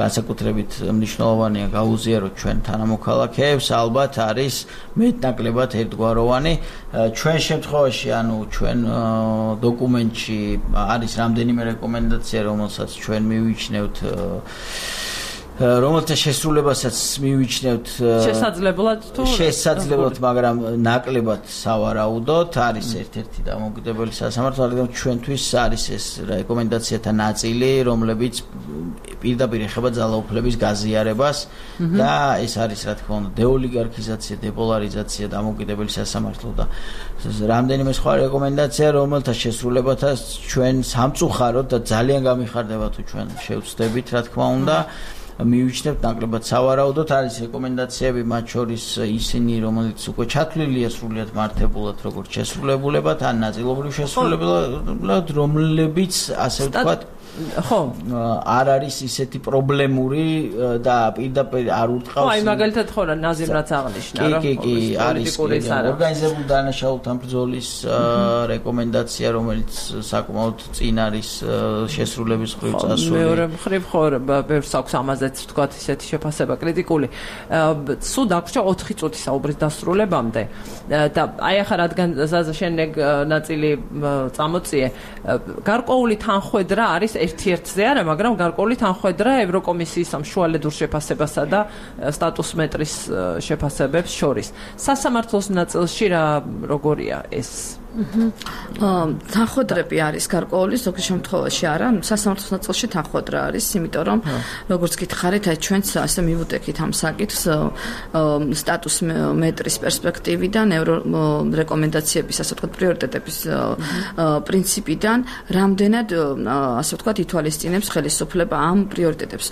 განსაკუთრებით მნიშვნელოვანია გაუზიაროთ ჩვენ თანამოქალაქეებს, ალბათ არის მეტნაკლებად ერთგვაროვანი. ჩვენ შემთხვევაში, ჩვენ დოკუმენტში არის რამდენიმე რეკომენდაცია, რომელსაც ჩვენ მივიჩნევთ რომელთა შესრულებასაც მივიჩნევთ შესაძლებლად, მაგრამ ნაკლებად სავარაუდოდ არის ერთ-ერთი დამოუკიდებელი სასამართლო, რადგან ჩვენთვის არის ეს რეკომენდაციათა ნაწილი, რომლებიც პირდაპირ ეხება ძალაუფლების გაზიარებას და ეს არის, რა თქმა უნდა, დეოლიგარქიზაცია, დეპოლარიზაცია, დამოუკიდებელი სასამართლო და რამდენიმე სხვა რეკომენდაცია, რომელთა შესრულებათაც ჩვენ სამწუხაროდ და ძალიან გამიხარდება თუ ჩვენ შევცდებით, რა თქმა უნდა, მივიჩნევთ ნაკლებად სავარაუდოდ. არის რეკომენდაციები, მათ შორის ისინი, რომელიც უკვე ჩათვლილია სრულიად მართებულად, როგორც შესრულებულებად, ან ნაწილობრივ შესრულებულად, რომლებიც, ასე ვთქვათ, ხო, არ არის ისეთი პრობლემური და პირდაპირ არ ურტყავს. აი, მაგალითად ხო რა ნაზიმ რაც აღნიშნა, რომ არის ორგანიზებული დანაშაულთა ბრძოლის რეკომენდაცია, რომელიც საკმაოდ წინ არის შესრულების მხრივ წასული. მეორე მხრივ ხო, ბევრს აქვს ამაზეც ვთქვათ ისეთი შეფასება კრიტიკული. სულ დაგვრჩა 4 წუთი საუბრის დასრულებამდე და აი ახლა რადგან ზაზა შენ ნაწილი წამოწიე, გარკვეული თანხwebdriver არის ერთ-ერთზე არა, მაგრამ გარკვეული თანხwebdriver ევროკომისიის სამშუალედურ შეფასებასა და სტატუსმეტრის შეფასებებს შორის. სასამართლოს ნაწილში როგორია ეს? თანხwebdriverები არის გარკვეული, ზოგ შემთხვევაში არა, სასამართლოს ნაწილში თანხwebdriver არის, იმიტომ რომ როგორც გითხარით, აი ჩვენც ასე მივუტეკით ამ საკითხს სტატუსმეტრის პერსპექტივიდან, რეკომენდაციების, ასე ვთქვათ, პრიორიტეტების პრინციპიდან, რამდენად, ასე ვთქვათ, ითვალისწინებს ხელისუფლება ამ პრიორიტეტებს.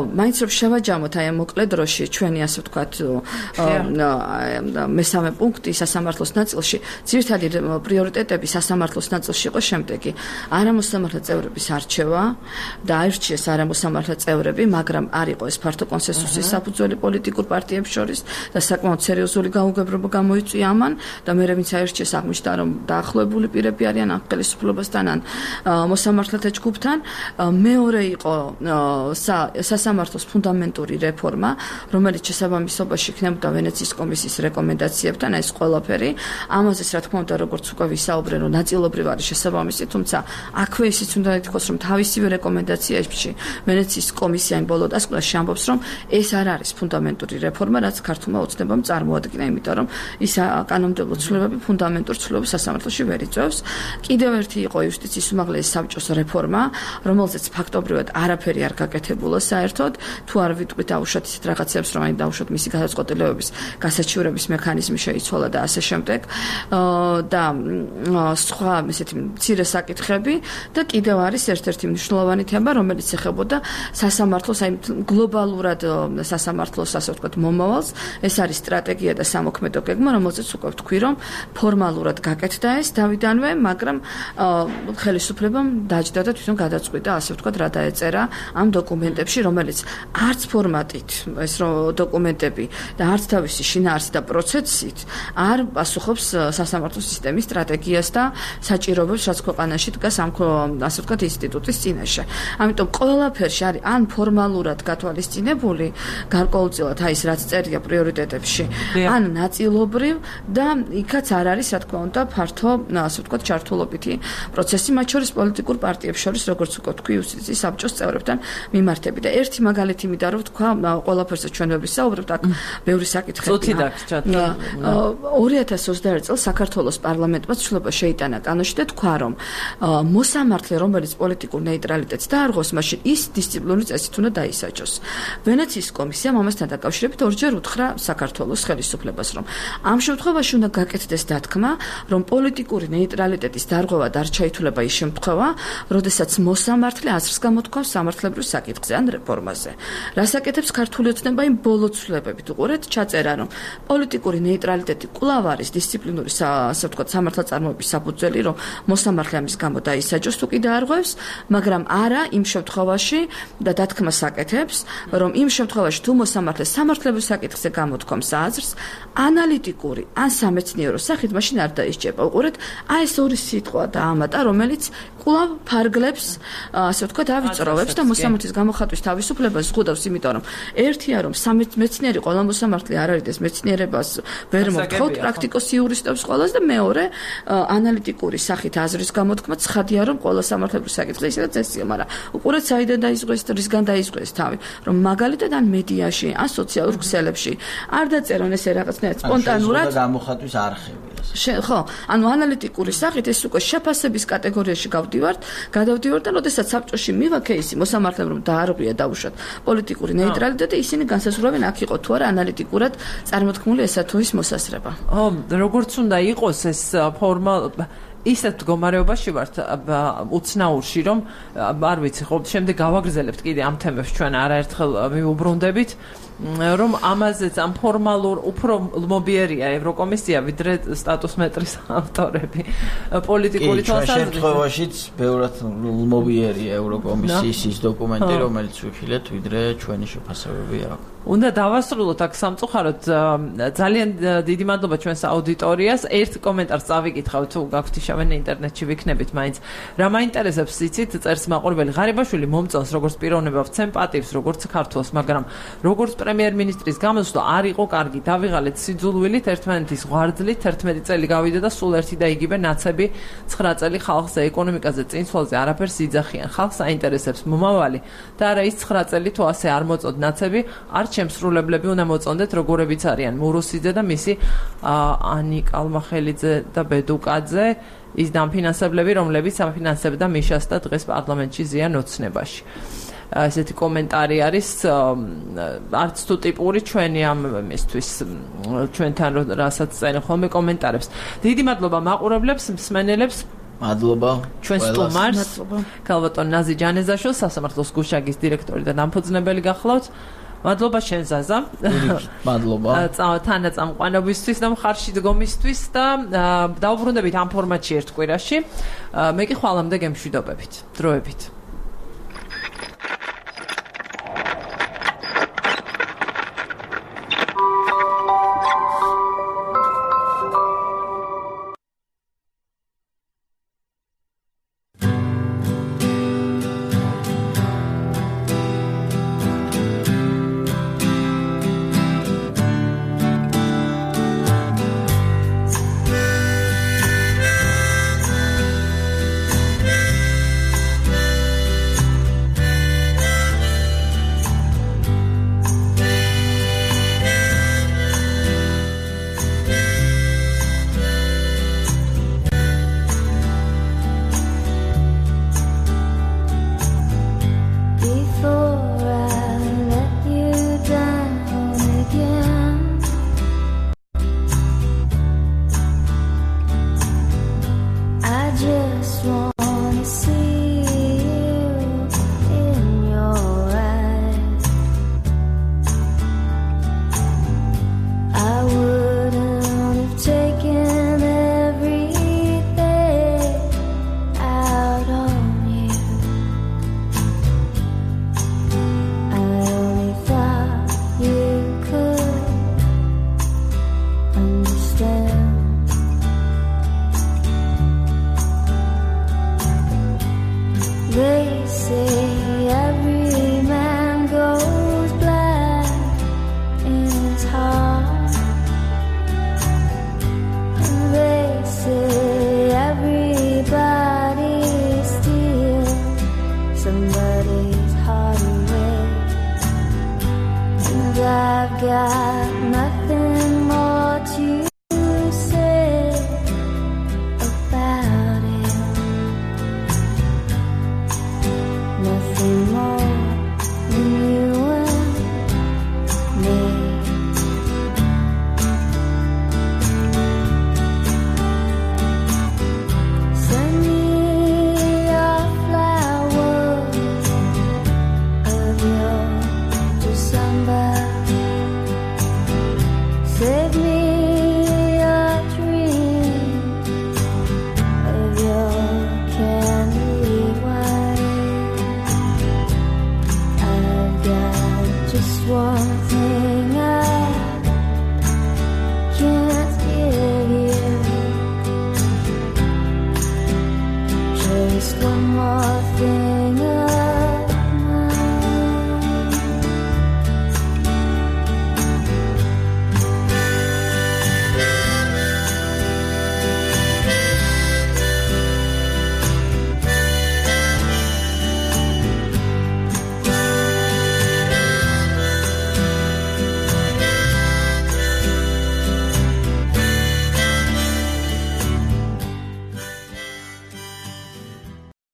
მაინც რომ შევაჯამოთ აი ამ მოკლე დროში ჩვენი, ასე ვთქვათ, მესამე პუნქტი სასამართლოს ნაწილში, ძირითადი პრიორიტეტები სასამართლოს ნაწილში იყო შემდეგი: არამოსამართლე წევრების არჩევა და აირჩიეს არამოსამართლე წევრები, მაგრამ არ იყო ეს ფართო კონსენსუსის საფუძველი პოლიტიკურ პარტიებს შორის და საკმაოდ სერიოზული გაუგებრობა გამოიწვია ამან და მე ვინც აირჩიეს აღმოჩნდა, რომ დაახლოებული პირები არიან ამ ხელისუფლებასთან ან მოსამართლეთა ჯგუფთან. მეორე იყო სასამართლოს ფუნდამენტური რეფორმა, რომელიც შესაბამისობაში იქნებოდა ვენეციის კომისიის რეკომენდაციებთან, ეს ყველაფერი. ამაზეც რა თქმა უნდა, როგორც უკვე ვისაუბრე, რომ ნაწილობრივ არის შესაბამისი, თუმცა აქვე ისიც უნდა ითქვას, რომ თავისივე რეკომენდაციაში ვენეციის კომისია იმ ბოლო დასკვნაში ამბობს, რომ ეს არ არის ფუნდამენტური რეფორმა, რაც ქართულმა ოცნებამ წარმოადგინა, იმიტომ რომ ის კანონმდებლო ცვლილებები ფუნდამენტურ ცვლილებებს სასამართლოში ვერ იწვევს. კიდევ ერთი იყო იუსტიციის უმაღლესი საბჭოს რეფორმა, რომელზეც ფაქტობრივად არაფერი არ გაკეთებულა საერთოდ, თუ არ ვიტყვით დაუშვათ ისეთ რაღაცებს, რომ აი დაუშვათ მისი გადაწყვეტილებების გასაჩივრების მექანიზმი შეიცვალა და ასე შემდეგ. და სხვა ესეთი მცირე საკითხები და კიდევ არის ერთ-ერთი მნიშვნელოვანი თემა, რომელიც ეხებოდა სასამართლოს, აი გლობალურად სასამართლოს, ასე ვთქვათ, მომავალს. ეს არის სტრატეგია და სამოქმედო გეგმა, რომელზეც უკვე ვთქვი, რომ ფორმალურად გაკეთდა ეს დავიდანვე, მაგრამ ხელისუფლებამ დაჯდა და თვითონ გადაწყვიტა, ასე ვთქვათ, რა დაეწერა ამ დოკუმენტებში, რომელიც არც ფორმატით ეს დოკუმენტები და არც თავისი შინაარსით და პროცესით არ პასუხობს სასამართლოს სისტემის სტრატეგიას და საჭიროებებს, რაც ქვეყანაში დგას ამ, ასე ვთქვათ, ინსტიტუტის წინაშე. ამიტომ ყველაფერში არის ან ფორმალურად გათვალისწინებული, გარკვეულწილად აი ეს რაც წერია პრიორიტეტებში, ან ნაწილობრივ და იქაც არ არის, რა თქმა უნდა, ფართო, ასე ვთქვათ, ჩართულობითი პროცესი, მათ შორის პოლიტიკურ პარტიებს შორის, როგორც უკვე ვთქვი, იუსტიციის საბჭოს წევრებთან მიმართები. და ერთი მაგალითი მინდა რომ ვთქვა, ყველაფერზე ჩვენ ვისაუბრებთ, აქ ბევრი საკითხია. 2021 წელს საქართველოს პარლამენტმა ცვლილება შეიტანა კანონში და თქვა, რომ მოსამართლე, რომელიც პოლიტიკურ ნეიტრალიტეტს დაარღვევს, მაშინ ის დისციპლინური წესით უნდა დაისაჯოს. ვენეციის კომისიამ ამასთან დაკავშირებით ორჯერ უთხრა საქართველოს ხელისუფლებას, რომ ამ შემთხვევაში უნდა გაკეთდეს დათქმა, რომ პოლიტიკური ნეიტრალიტეტის დარღვევა და არ ჩაითვლება ის შემთხვევა, როდესაც მოსამართლე აზრს გამოთქვამს სამართლებრივ საკითხზე ან რეფორმაზე. რას აკეთებს ქართული ოცნება იმ ბოლო ცვლილებებით უყურეთ, ჩაწერა, რომ პოლიტიკური ნეიტრალიტეტი კვლავ არის დისციპლინური ასე ვთქვათ სამართალწარმოების საფუძველი, რომ მოსამართლე ამის გამო დაისაჯოს თუ კი დაარღვევს, მაგრამ არა იმ შემთხვევაში და დათქმას აკეთებს, რომ იმ შემთხვევაში თუ მოსამართლე სამართლებრივ საკითხზე გამოთქვამს აზრს, ანალიტიკური ან სამეცნიერო სახით მაშინ არ დაისჯება. უყურეთ, ეს ორი სიტყვა და ამატა, რომელიც კვლავ ფარგლებს, ასე ვთქვათ, ავიწროვებს და მოსამართლის გამოხატვის თავისუფლებას ზღუდავს, იმიტომ რომ ერთია, რომ მეცნიერი ყველა მოსამართლე არ არის, მეცნიერებას ვერ მოთხოვთ პრაქტიკოს იურისტებს ყველას და მეორე, ანალიტიკური სახით აზრის გამოთქმა ცხადია, რომ ყველა სამართლებრივ საკითხზე ისედაც ესია, მაგრამ უყურეთ, საიდან დაიწყეს, რისგან დაიწყეს თავი, რომ მაგალითად ან მედიაში, ან სოციალურ ქსელებში არ დაწერონ ესე რაღაცნაირად სპონტანურად გამოხატვის არხები. ხო, ანუ ანალიტიკური სახით ეს უკვე შეფასების კატეგორიაში გადავდივართ და როდესაც საბჭოში მივა кейსი მოსამართლემ რომ დაარღვია დაუშვათ პოლიტიკური ნეიტრალიტეტი, ისინი განსაზღვრავენ აქ იყო თუ არა ანალიტიკურად წარმოთქმული ესა თუ ის მოსასრება. როგორც უნდა იყოს ეს ფორმა ისეთ მდგომარეობაში ვართ უცნაურში, რომ არ ვიცი, ხო, შემდეგ გავაგრძელებთ კიდე ამ თემებს ჩვენ არაერთხელ მიუბრუნდებით, რომ ამაზეც ამ ფორმალურ უფრო ლმობიერია ევროკომისია ვიდრე სტატუს მეტრის ავტორები პოლიტიკური თვალსაზრისით. შემთხვევაშიც ბევრად ლმობიერია ევროკომისიის ის დოკუმენტი, რომელიც ვიხილეთ ვიდრე ჩვენი შეფასებები აქვს. უნდა დავასრულოთ აქ სამწუხაროდ. ძალიან დიდი მადლობა ჩვენს აუდიტორიას. ერთ კომენტარს წავიკითხავ, თუ გაქვთ შავენ ინტერნეტში ვიქნებით მაინც. რა მაინტერესებს იცით, წერს მაყურებელი ღარიბაშვილი მომწონს როგორც პიროვნება ვცემ პატივს როგორც ქართველს, მაგრამ როგორც პრემიერ-მინისტრის გამოსვლა არ იყო კარგი. დავიღალეთ სიძულვილით, ერთმანეთის ღვარძლით, 11 წელი გავიდა და სულ ერთი და იგივე ნაცები 9 წელი ხალხზე ეკონომიკაზე წინსვლაზე არაფერს იძახიან. ხალხს აინტერესებს მომავალი და არა ის 9 წელი თუ ასე არ მოწოდ ნაცები, არ შემსრულებლები უნდა მოწონდეთ როგორებიც არიან მურუსიძე და მისი ანი კალმახელიძე და ბედუკაძე, ის დამფინანსებლები, რომლებიც ამფინანსებდა მიშას და დღეს პარლამენტში ზიან ოცნებაში. ესეთი კომენტარი არის არც თუ ტიპური ჩვენი ამ იმისთვის ჩვენთან რასაც წერენ ხოლმე კომენტარებს. დიდი მადლობა მაყურებლებს, მსმენელებს. მადლობა ჩვენ სტუმარს ქალბატონ ნაზი ჯანეზაშვილს, სასამართლოს გუშაგის დირექტორი და დამფუძნებელი გახლავთ. მადლობა შენ ზაზა. მადლობა. თანაწამყვანობისთვის და მხარში დგომისთვის და დავუბრუნდებით ამ ფორმატში ერთ კვირაში. მე კი ხვალამდე გემშვიდობებით. დროებით. Just one more thing